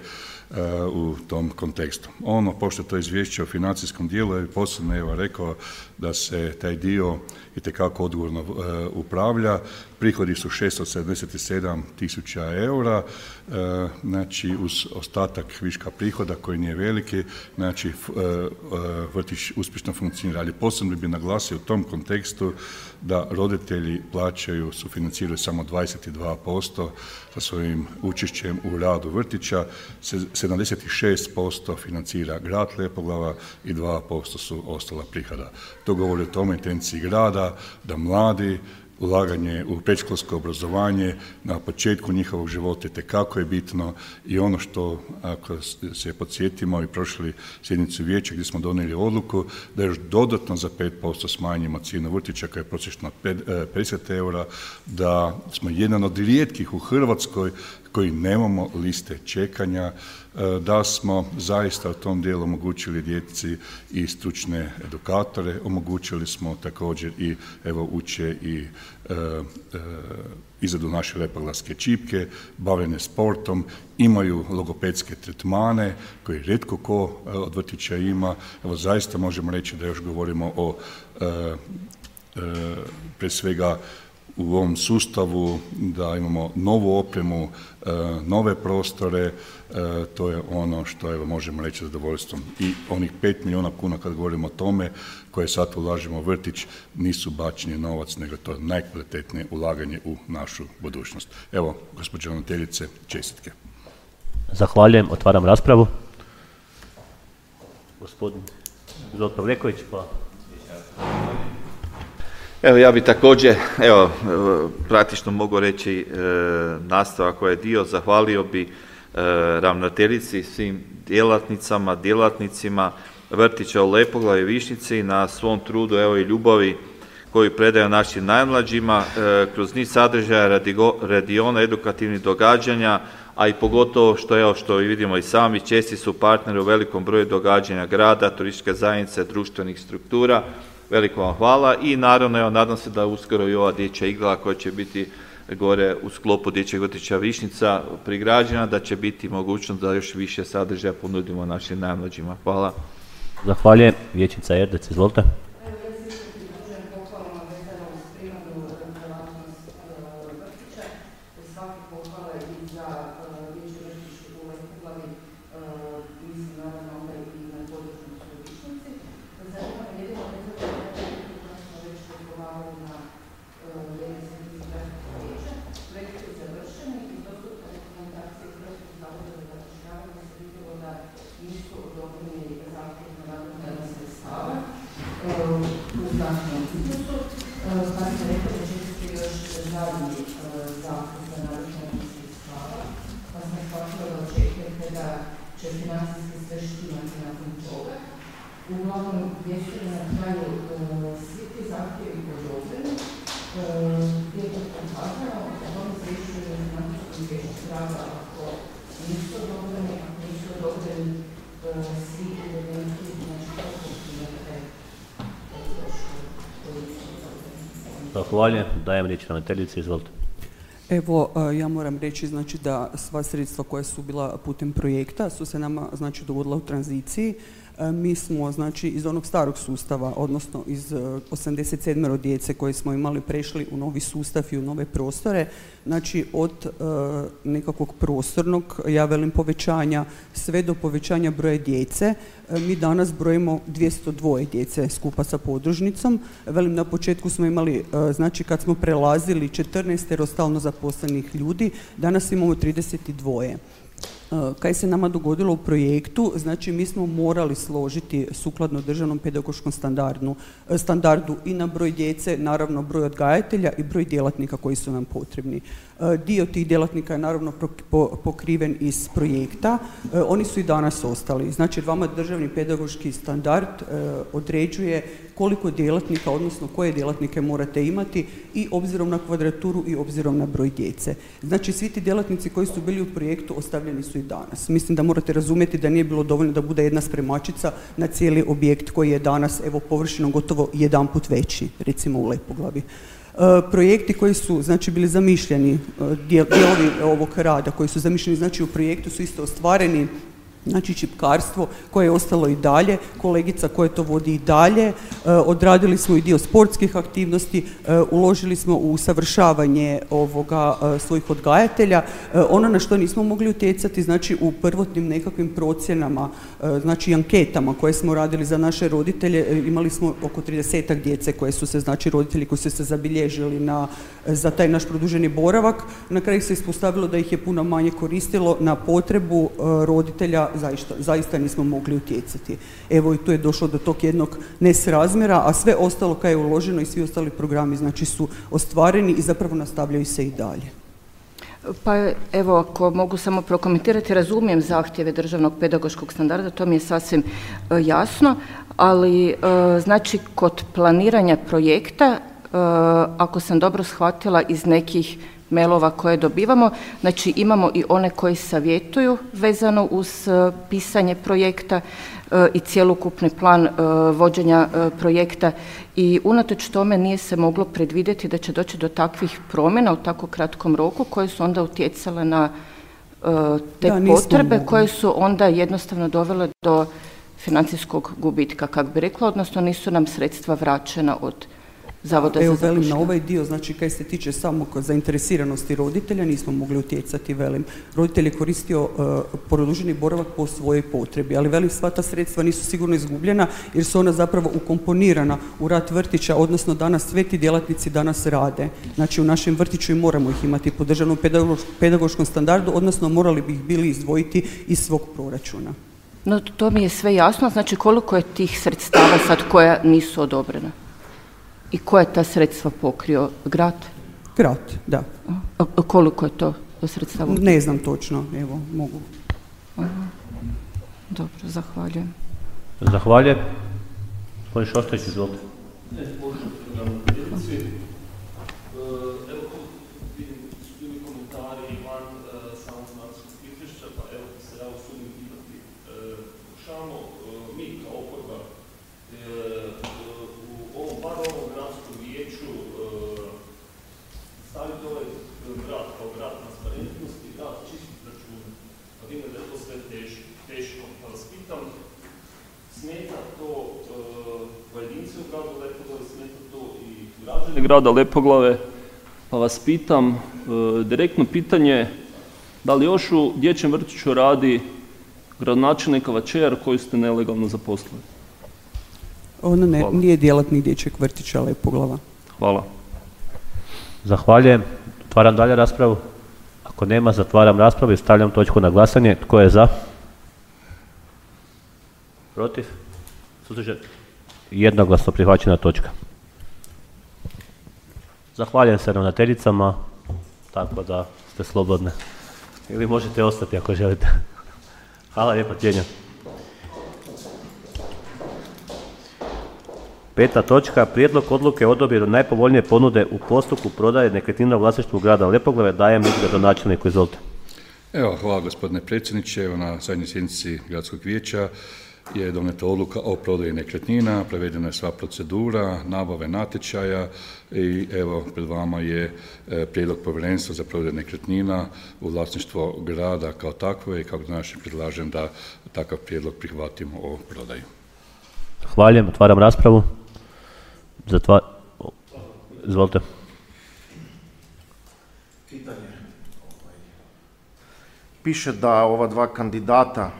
uh, u tom kontekstu. Ono, pošto to izvješće o financijskom dijelu, je posebno evo rekao da se taj dio itekako odgovorno uh, upravlja. Prihodi su šesto sedamdeset sedam tisuća eura, uh, znači uz ostatak viška prihoda koji nije veliki, znači uh, uh, vrtić uspješno funkcionira. Ali posebno bi naglasio u tom kontekstu da roditelji plaćaju, sufinanciraju samo dvadeset dva posto sa svojim učešćem u radu vrtića, sedamdeset šest posto financira grad Lepoglava i dva posto su ostala prihoda. To govori o tome intenciji grada da mladi, ulaganje u predškolsko obrazovanje na početku njihovog života itekako je bitno i ono što, ako se podsjetimo i prošli sjednicu vijeća gdje smo donijeli odluku da još dodatno za pet posto smanjimo cijenu vrtića koja je prosječno pedeset eura, da smo jedan od rijetkih u Hrvatskoj koji nemamo liste čekanja, da smo zaista u tom dijelu omogućili djeci i stručne edukatore, omogućili smo također i evo uče i e, e, izradu naše lepoglavske čipke, bavljene sportom, imaju logopedske tretmane koje rijetko ko od vrtića ima. Evo zaista možemo reći da još govorimo o e, e, pre svega u ovom sustavu, da imamo novu opremu, nove prostore, to je ono što evo, možemo reći zadovoljstvom. I onih pet milijuna kuna kad govorimo o tome koje sad ulažemo u vrtić nisu bačeni novac, nego to je najkvalitetnije ulaganje u našu budućnost. Evo, gospođo ravnateljice, čestitke. Zahvaljujem, otvaram raspravu. Gospodin Zoltan Pavleković, pa... Evo ja bi također, evo praktično mogu reći e, nastavak koji je dio, zahvalio bi e, ravnateljici, svim djelatnicama, djelatnicima vrtića u Lepoglavi i Višnjici na svom trudu evo i ljubavi koju predaju našim najmlađima e, kroz niz sadržaja, radigo, radiona, edukativnih događanja, a i pogotovo što evo što i vidimo i sami, česti su partneri u velikom broju događanja grada, turističke zajednice, društvenih struktura. Veliko vam hvala i naravno evo, nadam se da uskoro i ova dječja igla koja će biti gore u sklopu dječjeg vrtića Višnjica prigrađena, da će biti mogućnost da još više sadržaja ponudimo našim najmlađima. Hvala. Zahvaljujem. Vijećnica Erdec, izvolite. Zahvaljujem. Dajem riječ ravnateljici, izvolite. Evo, ja moram reći znači, da sva sredstva koja su bila putem projekta su se nama znači, dogodila u tranziciji. Mi smo znači, iz onog starog sustava, odnosno iz osamdeset sedam djece koje smo imali prešli u novi sustav i u nove prostore. Znači od e, nekakvog prostornog, ja velim povećanja, sve do povećanja broja djece. E, mi danas brojimo dvjesto dva djece skupa sa podružnicom. Velim, na početku smo imali, e, znači kad smo prelazili četrnaest stalno zaposlenih ljudi, danas imamo trideset dva. Kaj se nama dogodilo u projektu, znači mi smo morali složiti sukladno državnom pedagoškom standardu, standardu i na broj djece, naravno broj odgajatelja i broj djelatnika koji su nam potrebni. Dio tih djelatnika je naravno pokriven iz projekta, oni su i danas ostali. Znači vama državni pedagoški standard određuje koliko djelatnika, odnosno koje djelatnike morate imati i obzirom na kvadraturu i obzirom na broj djece. Znači, svi ti djelatnici koji su bili u projektu ostavljeni su i danas. Mislim da morate razumjeti da nije bilo dovoljno da bude jedna spremačica na cijeli objekt koji je danas, evo, površinom gotovo jedan put veći, recimo u Lepoglavi. E, projekti koji su, znači, bili zamišljeni, dijelovi ovog rada koji su zamišljeni, znači, u projektu su isto ostvareni. Znači, čipkarstvo koje je ostalo i dalje, kolegica koja to vodi i dalje, e, odradili smo i dio sportskih aktivnosti, e, uložili smo u usavršavanje ovoga e, svojih odgajatelja. E, ono na što nismo mogli utjecati, znači u prvotnim nekakvim procjenama, e, znači anketama koje smo radili za naše roditelje, e, imali smo oko tridesetak djece koje su se, znači roditelji koji su se zabilježili na, za taj naš produženi boravak. Na kraju se ispostavilo da ih je puno manje koristilo, na potrebu e, roditelja Zaista, zaista nismo mogli utjecati. Evo i tu je došlo do tog jednog nesrazmjera, a sve ostalo kad je uloženo i svi ostali programi, znači, su ostvareni i zapravo nastavljaju se i dalje. Pa evo, ako mogu samo prokomentirati, razumijem zahtjeve državnog pedagoškog standarda, to mi je sasvim e, jasno, ali e, znači kod planiranja projekta, e, ako sam dobro shvatila iz nekih mailova koje dobivamo, znači imamo i one koji savjetuju vezano uz uh, pisanje projekta uh, i cjelokupni plan uh, vođenja uh, projekta i unatoč tome nije se moglo predvidjeti da će doći do takvih promjena u tako kratkom roku koje su onda utjecale na uh, te da, potrebe mogli. koje su onda jednostavno dovele do financijskog gubitka, kako bi rekla, odnosno nisu nam sredstva vraćena od Zavoda Evo, za velim, na ovaj dio, znači, kaj se tiče samo zainteresiranosti roditelja, nismo mogli utjecati, velim. Roditelj je koristio uh, produženi boravak po svojoj potrebi, ali, velim, sva ta sredstva nisu sigurno izgubljena, jer su ona zapravo ukomponirana u rad vrtića, odnosno danas sve ti djelatnici danas rade. Znači, u našem vrtiću i moramo ih imati po državnom pedagoškom standardu, odnosno morali bi ih bili izdvojiti iz svog proračuna. No, to mi je sve jasno, znači koliko je tih sredstava sad koja nisu odobrena? I koje je ta sredstva pokrio? Grad? Grad, da. A, a koliko je to sredstava? Ne znam točno, evo, mogu. Aha. Dobro, zahvaljujem. Zahvaljujem. Gospodin Šoštović, izvolite. Ne, možemo programatrici. Evo, vidim, su bili komentari van samog nacionalnog izvješća, pa evo se ja usudim pitati. Pokušavamo mi kao oporba u ovom, bar ovom gradskom vijeću staviti ovaj grad kao grad transparentnosti, grad čistih računa. Pa vidim da je to sve teško, teško. Pa vas pitam, smeta to pojedinci u gradu Lepoglave, smeta to i građani grada Lepoglave, pa vas pitam, direktno pitanje, da li još u dječjem vrtiću radi gradonačelnikova kćer koju ste nelegalno zaposlili? Ona ne, nije djelatnik dječjeg vrtića Lepoglava. Hvala. Zahvaljujem. Otvaram dalje raspravu. Ako nema, zatvaram raspravu i stavljam točku na glasanje. Tko je za? Protiv? Suzdržan? Jednoglasno prihvaćena točka. Zahvaljujem se ravnateljicama, tako da ste slobodne. Ili možete ostati ako želite. Hvala lijepo, cijenjam. Peta točka, prijedlog odluke o odabiru najpovoljnije ponude u postupku prodaje nekretnina u vlasništvu grada Lepoglave. Dajem riječ gradonačelniku, izvolite. Evo, hvala gospodine predsjedniče. Evo, na zadnjoj sjednici gradskog vijeća je donijeta odluka o prodaji nekretnina, provedena je sva procedura, nabave natječaja i evo pred vama je e, prijedlog povjerenstva za prodaju nekretnina u vlasništvo grada kao takvo i kako znači predlažem da takav prijedlog prihvatimo o prodaju. Hvaljujem, otvaram raspravu. Zatvar... Izvolite. Pitanje. Piše da ova dva kandidata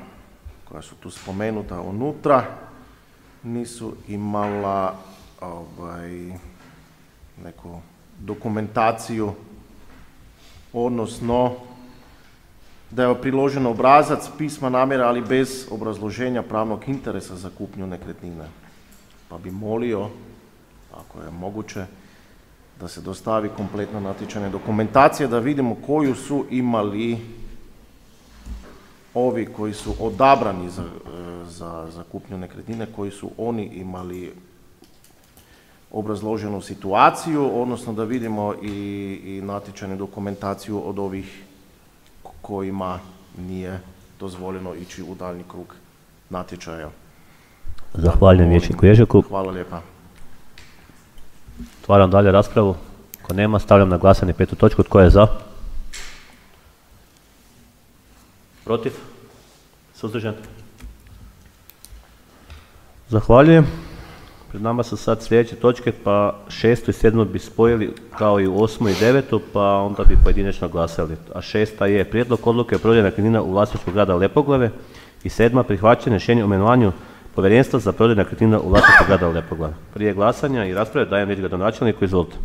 koja su tu spomenuta unutra nisu imala ovaj, neku dokumentaciju, odnosno da je priložen obrazac pisma namjera, ali bez obrazloženja pravnog interesa za kupnju nekretnine. Pa bi molio, ako je moguće, da se dostavi kompletna natječajna dokumentacija, da vidimo koju su imali ovi koji su odabrani za, za, za kupnju nekretnine, koji su oni imali obrazloženu situaciju, odnosno da vidimo i, i natječajnu dokumentaciju od ovih kojima nije dozvoljeno ići u daljnji krug natječaja. Zahvaljujem vijećniku Ježeku. Hvala lijepa. Otvaram dalje raspravu. Ako nema, stavljam na glasanje petu točku. Tko je za? Protiv? Suzdržan? Zahvaljujem. Pred nama su sad sljedeće točke, pa šestu i sedmu bi spojili kao i osmu i devetu, pa onda bi pojedinačno glasali. A šesta je prijedlog odluke o prodaji nekretnina u vlasništvu grada Lepoglave i sedma prihvaćanje rješenja o imenovanju povjerenstva za prodaju nekretnina u vlasništvu grada Lepoglave. Prije glasanja i rasprave dajem riječ gradonačelniku, izvolite.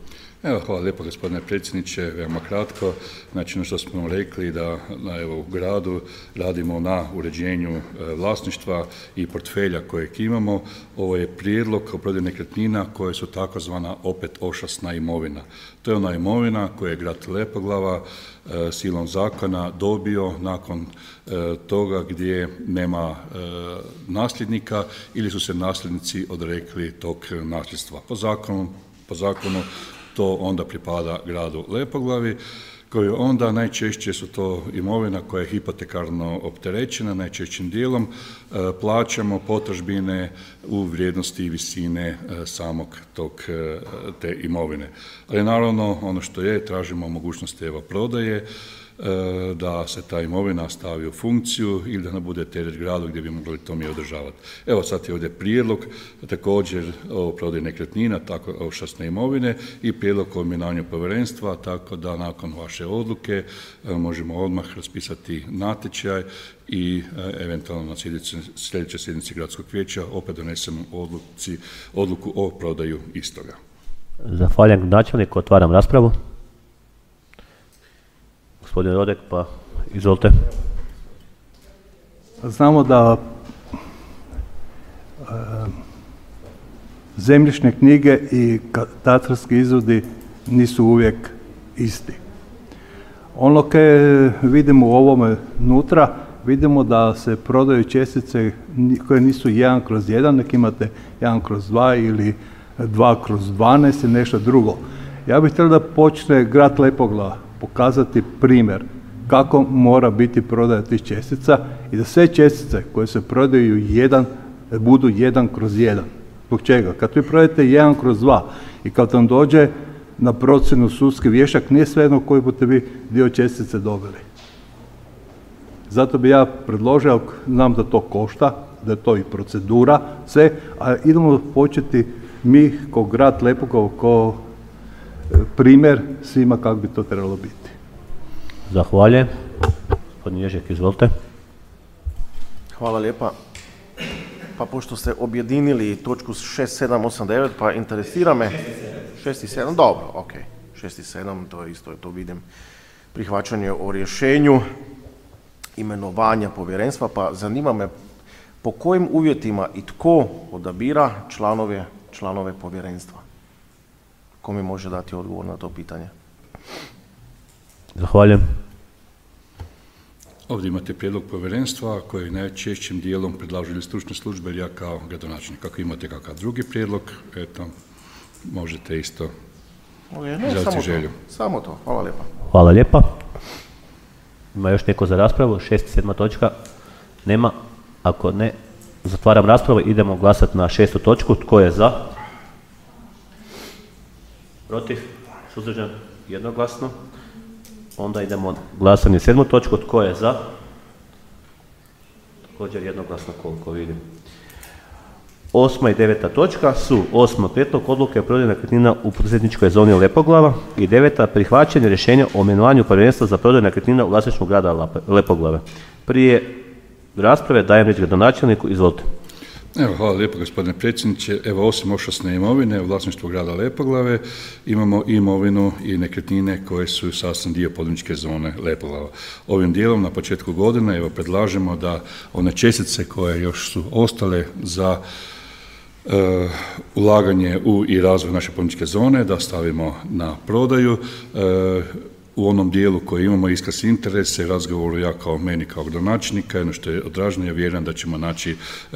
Evo, hvala lijepo gospodine predsjedniče, veoma kratko. Znači, ono što smo rekli da evo, u gradu radimo na uređenju e, vlasništva i portfelja kojeg imamo. Ovo je prijedlog o prodaji nekretnina koje su takozvana opet ošasna imovina. To je ona imovina koju je grad Lepoglava e, silom zakona dobio nakon e, toga gdje nema e, nasljednika ili su se nasljednici odrekli tog nasljedstva. Po zakonu, po zakonu to onda pripada gradu Lepoglavi, koji onda najčešće su to imovina koja je hipotekarno opterećena, najčešćim dijelom e, plaćamo potražbine u vrijednosti i visine e, samog tog, e, te imovine. Ali naravno ono što je, tražimo mogućnosti evo prodaje, da se ta imovina stavi u funkciju ili da ne bude teret gradu gdje bi mogli to mi održavati. Evo sad je ovdje prijedlog također o prodaji nekretnina, tako ošasne imovine i prijedlog o imenovanju povjerenstva, tako da nakon vaše odluke možemo odmah raspisati natječaj i eventualno na sljedećoj sjednici gradskog vijeća opet donesemo odluci, odluku o prodaju istoga. Zahvaljujem načelniku, otvaram raspravu. Gospodin Rodek, pa izvolite. Znamo da e, zemljišne knjige i katastarski izvodi nisu uvijek isti. Ono koje vidimo u ovome nutra, vidimo da se prodaju čestice koje nisu jedan kroz jedan, nek imate jedan kroz dva ili dva kroz dvanaest ili nešto drugo. Ja bih htio da počne grad Lepoglava pokazati primjer kako mora biti prodaja tih čestica i da sve čestice koje se prodaju jedan, budu jedan kroz jedan. Zbog čega? Kad vi prodajete jedan kroz dva i kad vam dođe na procjenu sudski vještak, nije svejedno koji budete vi dio čestice dobili. Zato bi ja predložio, znam da to košta, da je to i procedura, sve, a idemo početi mi kao grad Lepoglava, kao primjer svima kako bi to trebalo biti. Zahvaljujem. Gospodin Ježek, izvolite. Hvala lijepa. Pa pošto ste objedinili točku šest, sedam, osam, devet, pa interesira me šest i sedam, dobro, ok. šest i sedam, to je isto, to vidim. Prihvaćanje o rješenju imenovanja povjerenstva, pa zanima me po kojim uvjetima i tko odabira članove, članove povjerenstva? Ko mi može dati odgovor na to pitanje? Zahvaljujem. Ovdje imate prijedlog povjerenstva koji najčešćim dijelom predlažu ili stručne službe ili ja kao gradonačelnik. Ako imate kakav drugi prijedlog, eto, možete isto izraziti želju. Samo to, hvala lijepa. Hvala lijepa. Ima još neko za raspravu? Šest i sedma točka? Nema. Ako ne, zatvaram raspravu. Idemo glasati na šestu točku. Tko je za? Protiv? Suzdržan? Jednoglasno. Onda idemo glasanje sedmu točku. Tko je za? Također jednoglasno koliko vidim. Osma i deveta točka su osma prijedlog odluke o prodaji nekretnina u poduzetničkoj zoni Lepoglava i deveta prihvaćanje rješenja o imenovanju povjerenstva za prodaju nekretnina u vlasništvu grada Lepoglave. Prije rasprave dajem riječ gradonačelniku, izvolite. Evo, hvala lijepo gospodine predsjedniče. Evo, osim ošasne imovine u vlasništvu grada Lepoglave imamo i imovinu i nekretnine koje su sastavni dio poduzetničke zone Lepoglava. Ovim dijelom na početku godine evo predlažemo da one čestice koje još su ostale za uh, ulaganje u i razvoj naše poduzetničke zone da stavimo na prodaju. Uh, u onom dijelu koji imamo iskaz interese, razgovoru ja kao meni kao gradonačelnika, ono što je odraženo, ja vjerujem da ćemo naći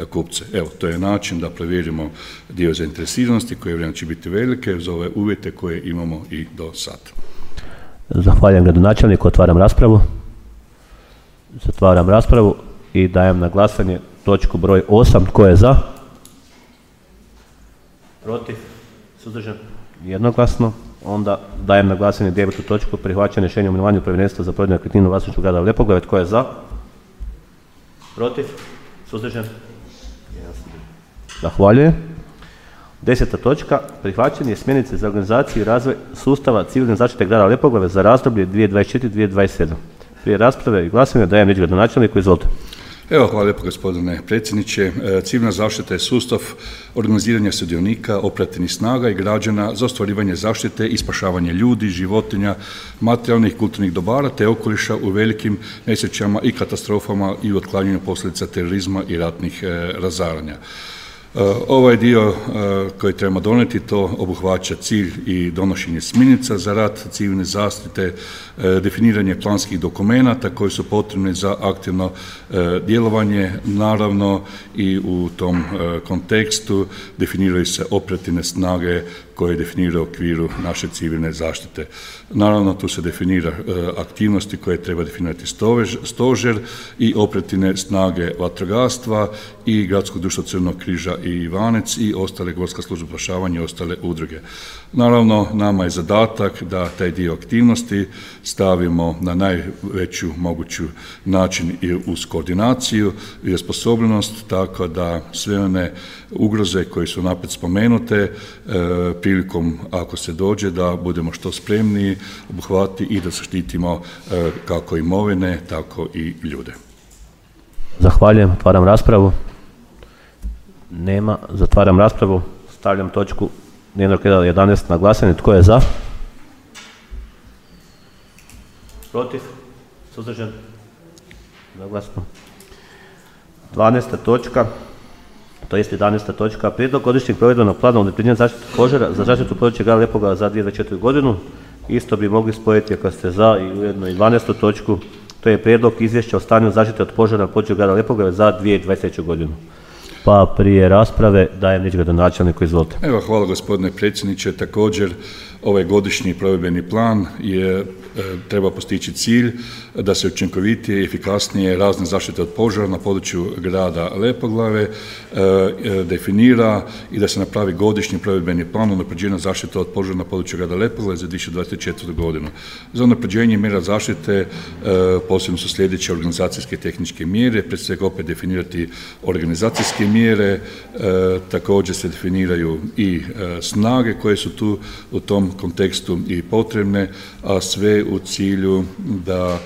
kupce. Evo, to je način da provjerimo dio zainteresiranosti koje vjerujem će biti velike za ove uvjete koje imamo i do sada. Zahvaljujem gradonačelniku, otvaram raspravu. Zatvaram raspravu i dajem na glasanje točku broj osam. Tko je za? Protiv? Suzdržan? Jednoglasno. Onda dajem na glasanje devetu točku, prihvaćanje rješenja o imenovanju povjerenstva za prodaju nekretnina u vlasništvu grada Lepoglave. Tko je za? Protiv? Suzdržan? Zahvaljujem. Deseta točka, prihvaćanje smjernice za organizaciju i razvoj sustava civilne zaštite grada Lepoglave za razdoblje dvije tisuće dvadeset četvrte do dvije tisuće dvadeset sedme. Prije rasprave i glasanja dajem riječ gradonačelniku, izvolite. Evo, hvala lijepo gospodine predsjedniče. Civilna zaštita je sustav organiziranja sudionika, operativnih snaga i građana za ostvarivanje zaštite i spašavanje ljudi, životinja, materijalnih i kulturnih dobara te okoliša u velikim nesrećama i katastrofama i u otklanjanju posljedica terorizma i ratnih razaranja. Ovaj dio koji trebamo donijeti to obuhvaća cilj i donošenje smjernica za rad civilne zaštite, definiranje planskih dokumenata koji su potrebni za aktivno djelovanje, naravno i u tom kontekstu definiraju se operativne snage koje definiraju u okviru naše civilne zaštite. Naravno, tu se definira aktivnosti koje treba definirati stožer i operativne snage vatrogastva i Gradskog društva Crvenog križa i Ivanec i ostale Gorska služba spašavanja i ostale udruge. Naravno, nama je zadatak da taj dio aktivnosti stavimo na najveću moguću način i uz koordinaciju i osposobljenost, tako da sve one ugroze koje su napred spomenute e, prilikom ako se dođe da budemo što spremniji obuhvati i da zaštitimo e, kako imovine, tako i ljude. Zahvaljujem, otvaram raspravu. Nema, zatvaram raspravu. Stavljam točku dnevnog reda jedanaest na glasanje. Tko je za? Protiv? Suzdržan? Zaglasno. dvanaesta točka, to jest jedanaesta točka, prijedlog godišnjeg provedbenog plana unapređenja zaštite požara za zaštitu područja grada Lepoglave za dvije tisuće dvadeset četvrtu. godinu. Isto bi mogli spojiti ako ste za i ujedno i dvanaestu točku, to je prijedlog izvješća o stanju zaštite od požara na području grada Lepoglave za dvije tisuće dvadeset treću. godinu. Pa prije rasprave dajem riječ gradonačelniku, izvolite. Evo, hvala gospodine predsjedniče. Također, ovaj godišnji provedbeni plan je e, treba postići cilj da se učinkovitije i efikasnije razne zaštite od požara na području grada Lepoglave e, e, definira i da se napravi godišnji provedbeni plan unapređenja zaštite od požara na području grada Lepoglave za dvije tisuće dvadeset četvrtu. godinu. Za unapređenje mjera zaštite e, posebno su sljedeće organizacijske i tehničke mjere, prije svega opet definirati organizacijske mjere, e, također se definiraju i e, snage koje su tu u tom kontekstu i potrebne, a sve u cilju da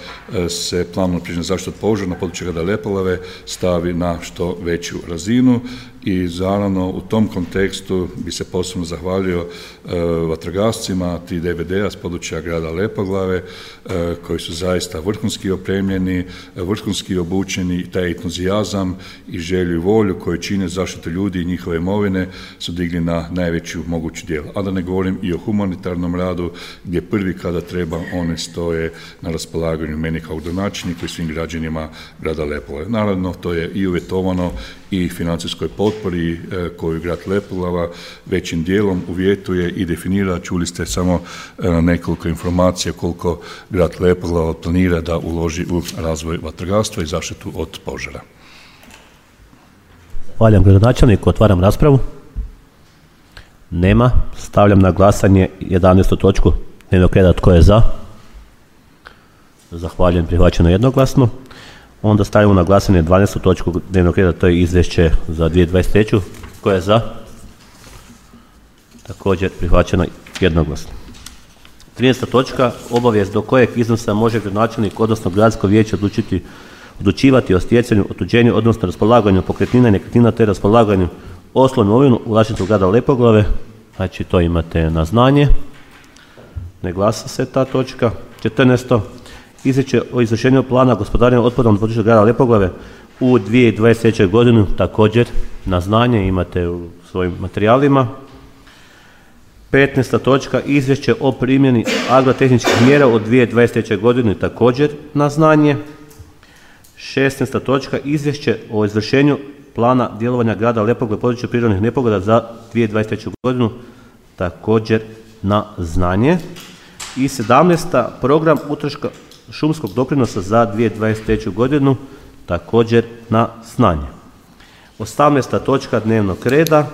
se plan unapređenja zaštite od požara na području grada Lepoglave stavi na što veću razinu. I naravno u tom kontekstu bi se posebno zahvalio e, vatrogascima ti D V D-a s područja grada Lepoglave e, koji su zaista vrhunski opremljeni, vrhunski obučeni, taj entuzijazam i želju i volju koju čine zaštitu ljudi i njihove imovine su digli na najveću moguću djelu. A da ne govorim i o humanitarnom radu gdje prvi kada treba one stoje na raspolaganju meni kao gradonačelniku i svim građanima grada Lepoglave. Naravno, to je i uvjetovano i financijskoj potpori e, koju grad Lepoglava većim dijelom uvjetuje i definira. Čuli ste samo e, nekoliko informacija koliko grad Lepoglava planira da uloži u razvoj vatrogastva i zaštitu od požara. Hvala gradonačelniku, otvaram raspravu. Nema. Stavljam na glasanje jedanaestu točku dnevnog reda. Tko je za? Zahvaljujem, prihvaćeno jednoglasno. Onda stavimo na glasanje dvanaestu točku dnevnog reda, to je izvješće za dvije tisuće dvadeset treću. Tko je za? Također prihvaćeno jednoglasno. trinaesta točka, obavijest do kojeg iznosa može gradonačelnik odnosno gradsko vijeće odlučiti, odlučivati o stjecanju, otuđenju odnosno raspolaganju pokretnina i nekretnina te raspolaganju osnovnom imovinu u vlasništvu grada Lepoglave. Znači to imate na znanje. Ne glasa se ta točka. četrnaesta izvješće o izvršenju plana gospodarenja otpadom na području grada Lepoglave u dvije tisuće dvadeset treću. godinu, također na znanje imate u svojim materijalima. petnaesta točka izvješće o primjeni agrotehničkih mjera od dvije tisuće dvadeset treće. godine također na znanje. šesnaesta točka izvješće o izvršenju plana djelovanja grada Lepoglave u području prirodnih nepogoda za dvije tisuće dvadeset treću. godinu također na znanje. I sedamnaesta program utroška šumskog doprinosa za dvije tisuće dvadeset treću. godinu također na znanje. osamnaesta točka dnevnog reda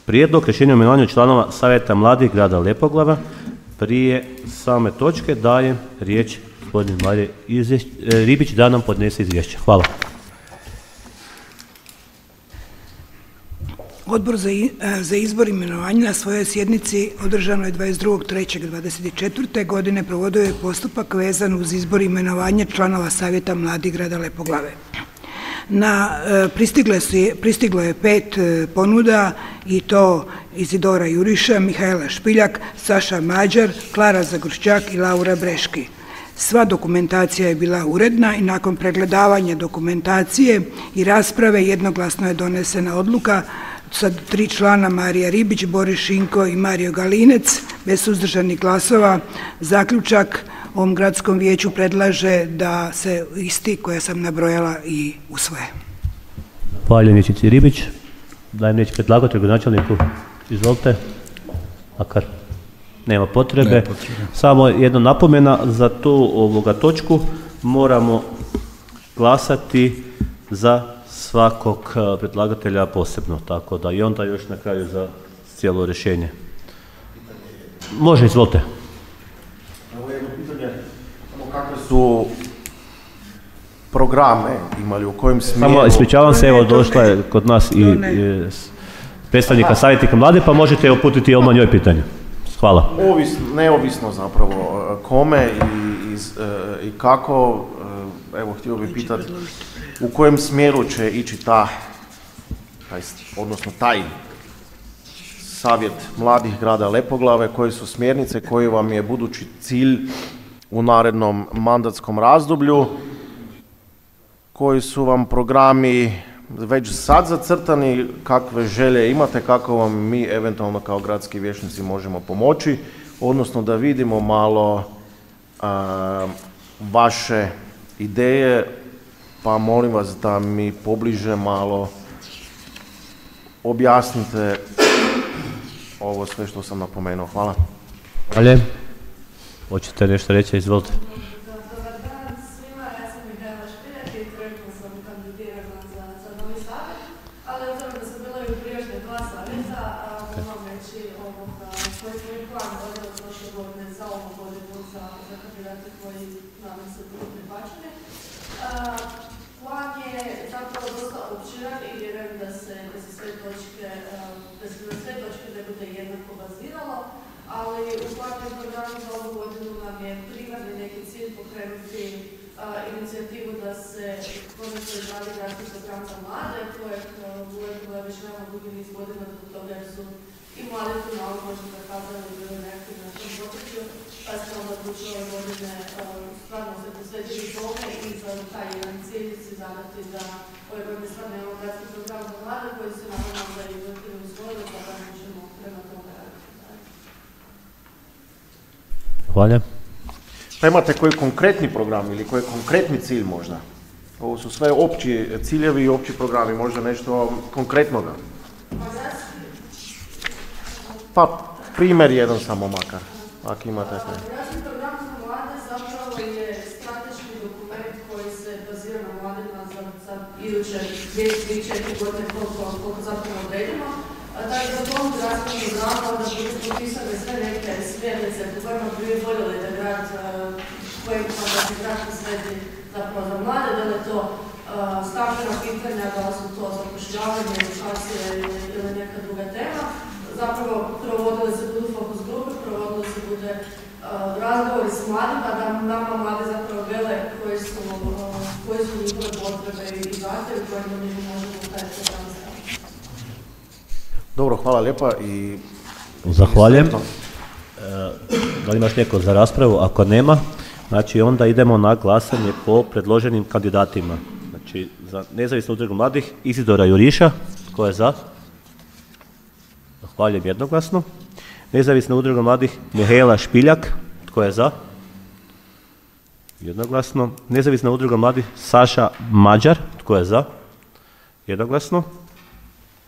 prijedlog rješenja o imenovanju članova Savjeta mladih grada Lepoglava. Prije same točke dajem riječ gospodinu Mariji Ribić da nam podnese izvješće. Hvala. Odbor za, za izbor imenovanja na svojoj sjednici održanoj dvadeset drugog trećeg dvadeset četvrte. godine provodio je postupak vezan uz izbor imenovanja članova Savjeta mladih grada Lepoglave. Na, pristigle su, pristiglo je pet ponuda i to Izidora Juriša, Mihajla Špiljak, Saša Mađar, Klara Zagorščak i Laura Breški. Sva dokumentacija je bila uredna i nakon pregledavanja dokumentacije i rasprave jednoglasno je donesena odluka sa tri člana Marija Ribić, Boris Šinko i Mario Galinec, bez suzdržanih glasova. Zaključak ovom gradskom vijeću predlaže da se isti koje sam nabrojala i usvoje. Zahvaljujem vijećnici Ribić. Dajem riječ predlagatelju, gradonačelniku. Izvolite. Makar nema potrebe. Nema potrebe. Samo jedna napomena za tu ovoga točku. Moramo glasati za svakog predlagatelja posebno, tako da i onda još na kraju za cijelo rješenje. Može, izvolite. Evo jedno pitanje, kakve su programe imali, u kojem smjeru? Samo ispričavam se, evo došla je kod nas i, i predstavnika savjetnika mlade, pa možete uputiti odmah njoj pitanje. Hvala. Ovisno, neovisno zapravo kome i, iz, i kako, evo htio bih pitati u kojem smjeru će ići ta, taj, odnosno taj savjet mladih grada Lepoglave, koje su smjernice, koji vam je budući cilj u narednom mandatskom razdoblju, koji su vam programi već sad zacrtani, kakve želje imate, kako vam mi eventualno kao gradski vijećnici možemo pomoći, odnosno da vidimo malo a, vaše ideje, pa molim vas da mi pobliže malo objasnite ovo sve što sam napomenuo. Hvala. Hvala. Hoćete nešto reći, izvolite. Dobar dan svima, ja sam Mihajla Špiljak i trenutno sam kandidirana za, za novi savjet, ali obzirom da sam bila i u prijašnje dva savjeta, moram reći ovoga, koji smo i plan donijeli prošle godine za ovu godinu za, za kandidate koji nadam se budu prihvaćeni. Plan je zapravo dosta opširan i vjerujem da se, da se sve točke, da se na sve točke ne bude jednako baziralo, ali u planu programu za ovu godinu nam je primarni neki cilj pokrenuti uh, inicijativu da se konačno izradi gradski program za mlade, kojeg uh, u Lepoglave već veoma dugi niz godina do toga jer su i mladi tu malo možda zakazali i bili neaktivni na tom području, pa smo onda odlučili ove godine uh, stvarno se posvetiti tome i za taj jedan cilj si zadati da ove godine stvarno imamo gradski program za mlade koji se naravno da i vrtili usvojili, pa da možemo prema tome raditi. Hvala. Pa imate koji konkretni program ili koji konkretni cilj možda? Ovo su sve opći ciljevi i opći programi, možda nešto konkretnoga? Pa primjer jedan samo makar, ako imate. Gradski program za mlade zapravo je strateški dokument koji se bazira na mladima za, za iduće dvije do četiri godine koliko, koliko zapravo odredimo. Tako za tom gradskom programu onda budu popisane sve neke smjernice po kojima bi vi voljeli da grad, kojima da se grad posveti zapravo za mlade, da li je to uh, stambena pitanja, da li su to zapošljavanje, edukacije ili, ili neka druga tema. Zapravo provodili se budu fokus grupe, provodili se bude uh, razgovori s mladima, da nama mladi zapravo vele koji su, uh, koji su njihove potrebe i zahtjevi kojima mi možemo taj program staviti. Dobro, hvala lijepa i... Zahvaljujem. E, da li imaš neko za raspravu? Ako nema, znači onda idemo na glasanje po predloženim kandidatima. Znači, za nezavisnu udrugu mladih Izidora Juriša, tko je za? Zahvaljujem jednoglasno. Nezavisna udruga mladih Mihaela Špiljak, tko je za? Jednoglasno. Nezavisna udruga mladih Saša Mađar, tko je za? Jednoglasno.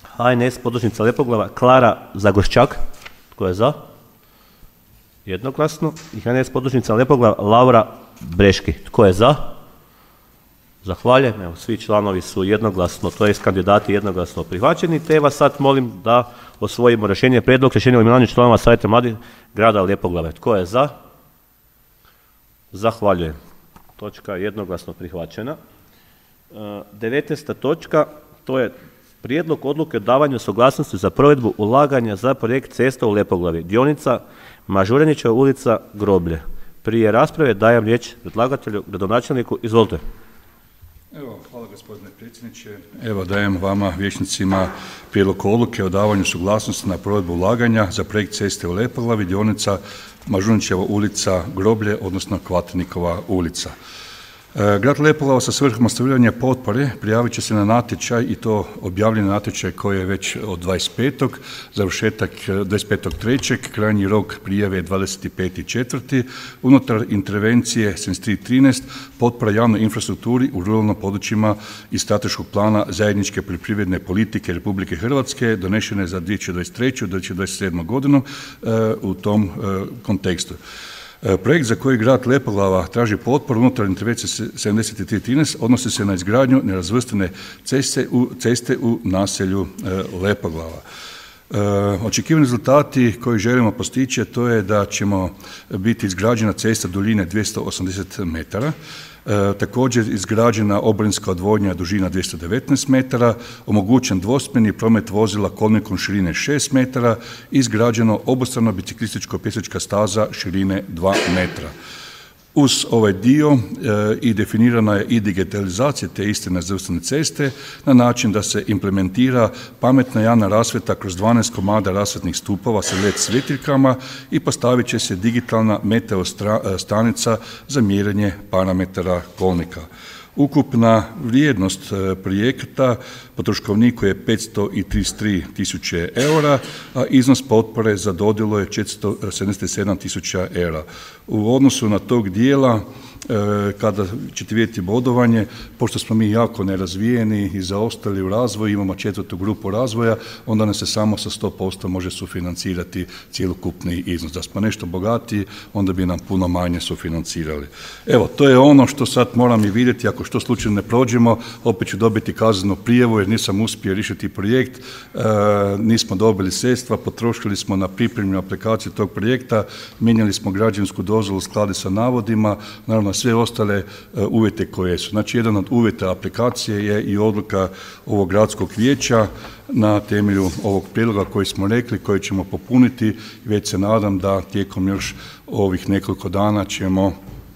H N S podružnica Lepoglava Klara Zagoščak, tko je za? Jednoglasno. I H N S podružnica Lepoglava Laura Breški, tko je za? Zahvaljujem. Evo, svi članovi su jednoglasno, to je kandidati jednoglasno prihvaćeni, te vas sad molim da osvojimo rješenje, prijedlog rješenja o imenovanju članova Savjeta mladih grada Lepoglave. Tko je za? Zahvaljujem. Točka jednoglasno prihvaćena. devetnaesta točka, to je prijedlog odluke o davanju suglasnosti za provedbu ulaganja za projekt cesta u Lepoglavi, dionica Mažuranićeva ulica Groblje. Prije rasprave dajem riječ predlagatelju, gradonačelniku. Izvolite. Evo, hvala gospodine predsjedniče. Evo dajem vama, vijećnicima, prijedlog odluke o davanju suglasnosti na provedbu ulaganja za projekt ceste u Lepoglavi, dionica Mažuranićeva ulica Groblje, odnosno Kvatnikova ulica. Grad Lepoglava sa svrhom ostvarivanja potpore prijavit će se na natječaj, i to objavljeni natječaj koji je već od dvadeset petog završetak dvadeset petog trećeg krajnji rok prijave je dvadeset peti četvrti unutar intervencije sedamdeset tri trinaest potpora javnoj infrastrukturi u ruralnim područjima iz strateškog plana zajedničke poljoprivredne politike Republike Hrvatske donešene za dvije tisuće dvadeset treću do dvije tisuće dvadeset sedmu godinu u tom kontekstu. Projekt za koji grad Lepoglava traži potporu unutar intervencije sedamdeset tri trinaest odnosi se na izgradnju nerazvrstane ceste u, ceste u naselju Lepoglava. Očekivani rezultati koji želimo postići to je da ćemo biti izgrađena cesta duljine dvjesto osamdeset metara, E, također izgrađena oborinska odvodnja dužina dvjesto devetnaest metara, omogućen dvosmjerni promet vozila kolnikom širine šest metara, izgrađeno obostrano biciklističko pješačka staza širine dva metra. Uz ovaj dio e, i definirana je i digitalizacija te iste nerazvrstane ceste na način da se implementira pametna javna rasvjeta kroz dvanaest komada rasvjetnih stupova sa L E D svjetiljkama i postavit će se digitalna meteo stanica za mjerenje parametara kolnika. Ukupna vrijednost projekta po troškovniku je petsto trideset tri tisuće eura, a iznos potpore za dodjelu je četiristo sedamdeset sedam tisuća eura. U odnosu na tog dijela, kada ćete vidjeti bodovanje, pošto smo mi jako nerazvijeni i zaostali u razvoju, imamo četvrtu grupu razvoja, onda nam se samo sa sto posto može sufinancirati cjelokupni iznos. Da smo nešto bogatiji, onda bi nam puno manje sufinancirali. Evo, to je ono što sad moram i vidjeti, ako što slučajno ne prođemo, opet ću dobiti kaznenu prijavu jer nisam uspio riješiti projekt, e, nismo dobili sredstva, potrošili smo na pripremnu aplikaciju tog projekta, mijenjali smo građevinsku dozvolu u skladu sa navodima, naravno sve ostale uh, uvjete koje su. Znači, jedan od uvjeta aplikacije je i odluka ovog gradskog vijeća na temelju ovog prijedloga koji smo rekli, koji ćemo popuniti. Već se nadam da tijekom još ovih nekoliko dana ćemo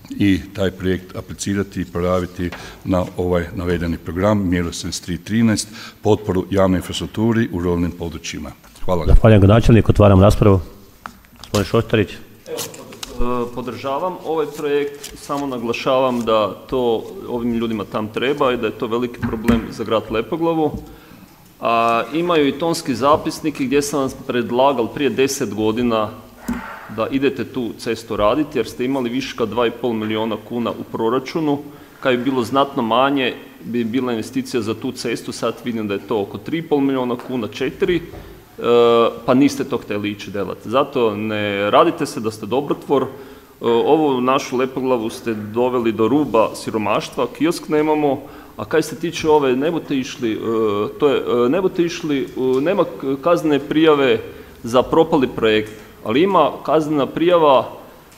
i taj projekt aplicirati i prijaviti na ovaj navedeni program mjeru sedamdeset tri trinaest potporu javnoj infrastrukturi u ruralnim područjima. Hvala. Zahvaljujem gradonačelniku, otvaram raspravu. Gospodin Šoštarić. Podržavam ovaj projekt, samo naglašavam da to ovim ljudima tam treba i da je to veliki problem za grad Lepoglavu. A, imaju i tonski zapisniki gdje sam vam predlagal prije deset godina da idete tu cestu raditi jer ste imali viška dva i pol milijuna kuna u proračunu. Kad bi bilo znatno manje bi bila investicija za tu cestu, sad vidim da je to oko tri i pol milijuna kuna, četiri, pa niste to htjeli ići delati. Zato ne radite se da ste dobrotvor. Ovu našu Lepoglavu ste doveli do ruba siromaštva, kiosk nemamo, a kaj se tiče ove, ne budete išli, to je, ne budete išli, nema kaznene prijave za propali projekt, ali ima kaznena prijava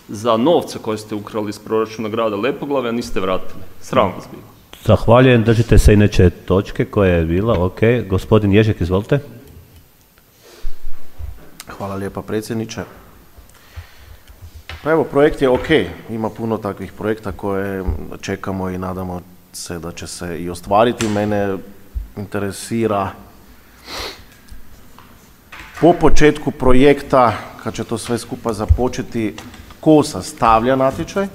za novce koje ste ukrali iz proračuna grada Lepoglave, a niste vratili. Sram vas bilo. Zahvaljujem, držite se inače točke koja je bila, ok. Gospodin Ježek, izvolite. Hvala lijepa predsjedniče. Pa evo, projekt je ok, ima puno takvih projekta koje čekamo i nadamo se da će se i ostvariti. Mene interesira po početku projekta, kad će to sve skupa započeti, tko sastavlja natječaj,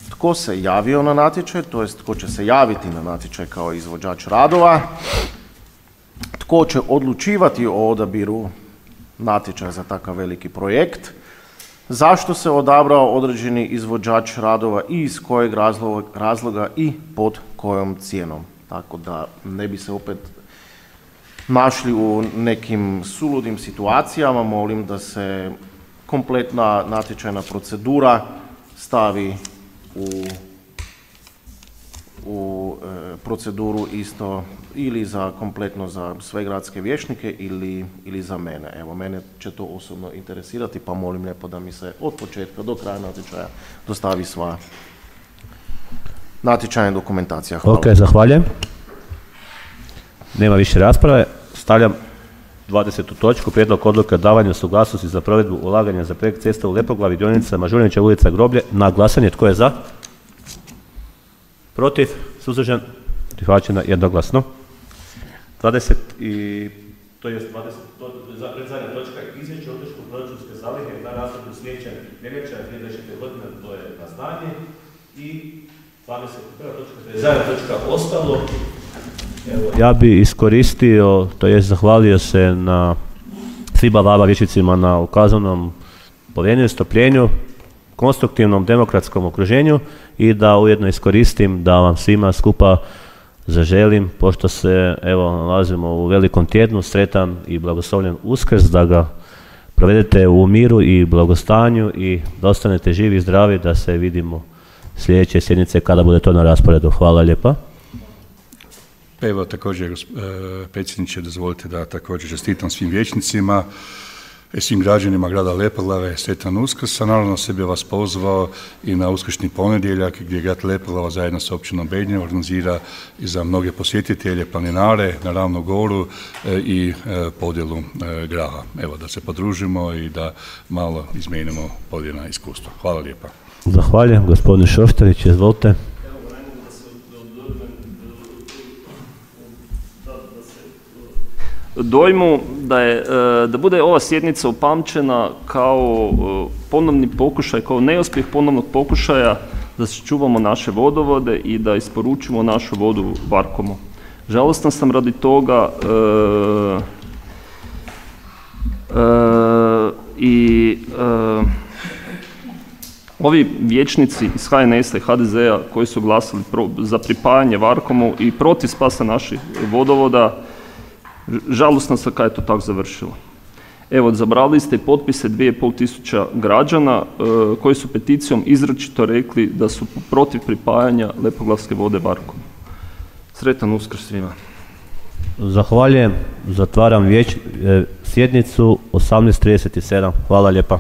tko se javio na natječaj, to jest tko će se javiti na natječaj kao izvođač radova, tko će odlučivati o odabiru natječaj za takav veliki projekt, zašto se odabrao određeni izvođač radova i iz kojeg razloga, razloga i pod kojom cijenom. Tako da ne bi se opet našli u nekim suludim situacijama, molim da se kompletna natječajna procedura stavi u, u e, proceduru isto ili za kompletno za sve gradske vijećnike ili, ili za mene. Evo, mene će to osobno interesirati, pa molim lijepo da mi se od početka do kraja natječaja dostavi sva natječajna dokumentacija. Hvala. Ok, zahvaljujem. Nema više rasprave. Stavljam dvadesetu točku, prijedlog odluke o davanju suglasnosti za provedbu ulaganja za projekt cesta u Lepoglavi, dionica Mažuranića ulica Groblje. Na glasanje, tko je za? Protiv? Suzdržan? Prihvaćena jednoglasno. dvadeset i to je dvadeset predzadnja točka, izvješće o utrošku proračunske zalihe na razdoblju sljedeća veljača dvije tisuće dvadeset godine, to je na znanje. I dvadeset prva točka, predzadnja točka, ostalo. Evo, ja bi iskoristio, to jest zahvalio se na svima vama vijećnicima na ukazanom povjerenju, strpljenju, konstruktivnom demokratskom okruženju i da ujedno iskoristim da vam svima skupa zaželim, pošto se evo nalazimo u velikom tjednu, sretan i blagoslovljen Uskrs, da ga provedete u miru i blagostanju i da ostanete živi i zdravi, da se vidimo sljedeće sjednice kada bude to na rasporedu. Hvala lijepa. Evo također, predsjedniče, dozvolite da također čestitam svim vijećnicima, svim građanima grada Lepoglave, sretan Uskrs, a naravno se bi vas pozvao i na uskršnji ponedjeljak gdje grad Lepoglava zajedno sa općinom Bednje organizira i za mnoge posjetitelje, planinare na Ravnu goru i podjelu graha. Evo, da se podružimo i da malo izmijenimo podijeljena iskustva. Hvala lijepa. Zahvaljujem, gospodin Šoštarić, izvolite. Dojmu da, je, da bude ova sjednica upamćena kao ponovni pokušaj, kao neuspjeh ponovnog pokušaja da sačuvamo naše vodovode i da isporučimo našu vodu Varkomu. Žalostan sam radi toga e, e, i e, ovi vijećnici iz H N S-a i H D Z-a koji su glasali pro, za pripajanje Varkomu i protiv spasa naših vodovoda, žalosno sam kada je to tako završilo. Evo, zabrali ste potpise dvije i pol tisuća građana e, koji su peticijom izričito rekli da su protiv pripajanja Lepoglavske vode Varkomu. Sretan Uskrs svima. Zahvaljujem. Zatvaram vjeć, e, sjednicu osamnaest trideset sedam. Hvala lijepa.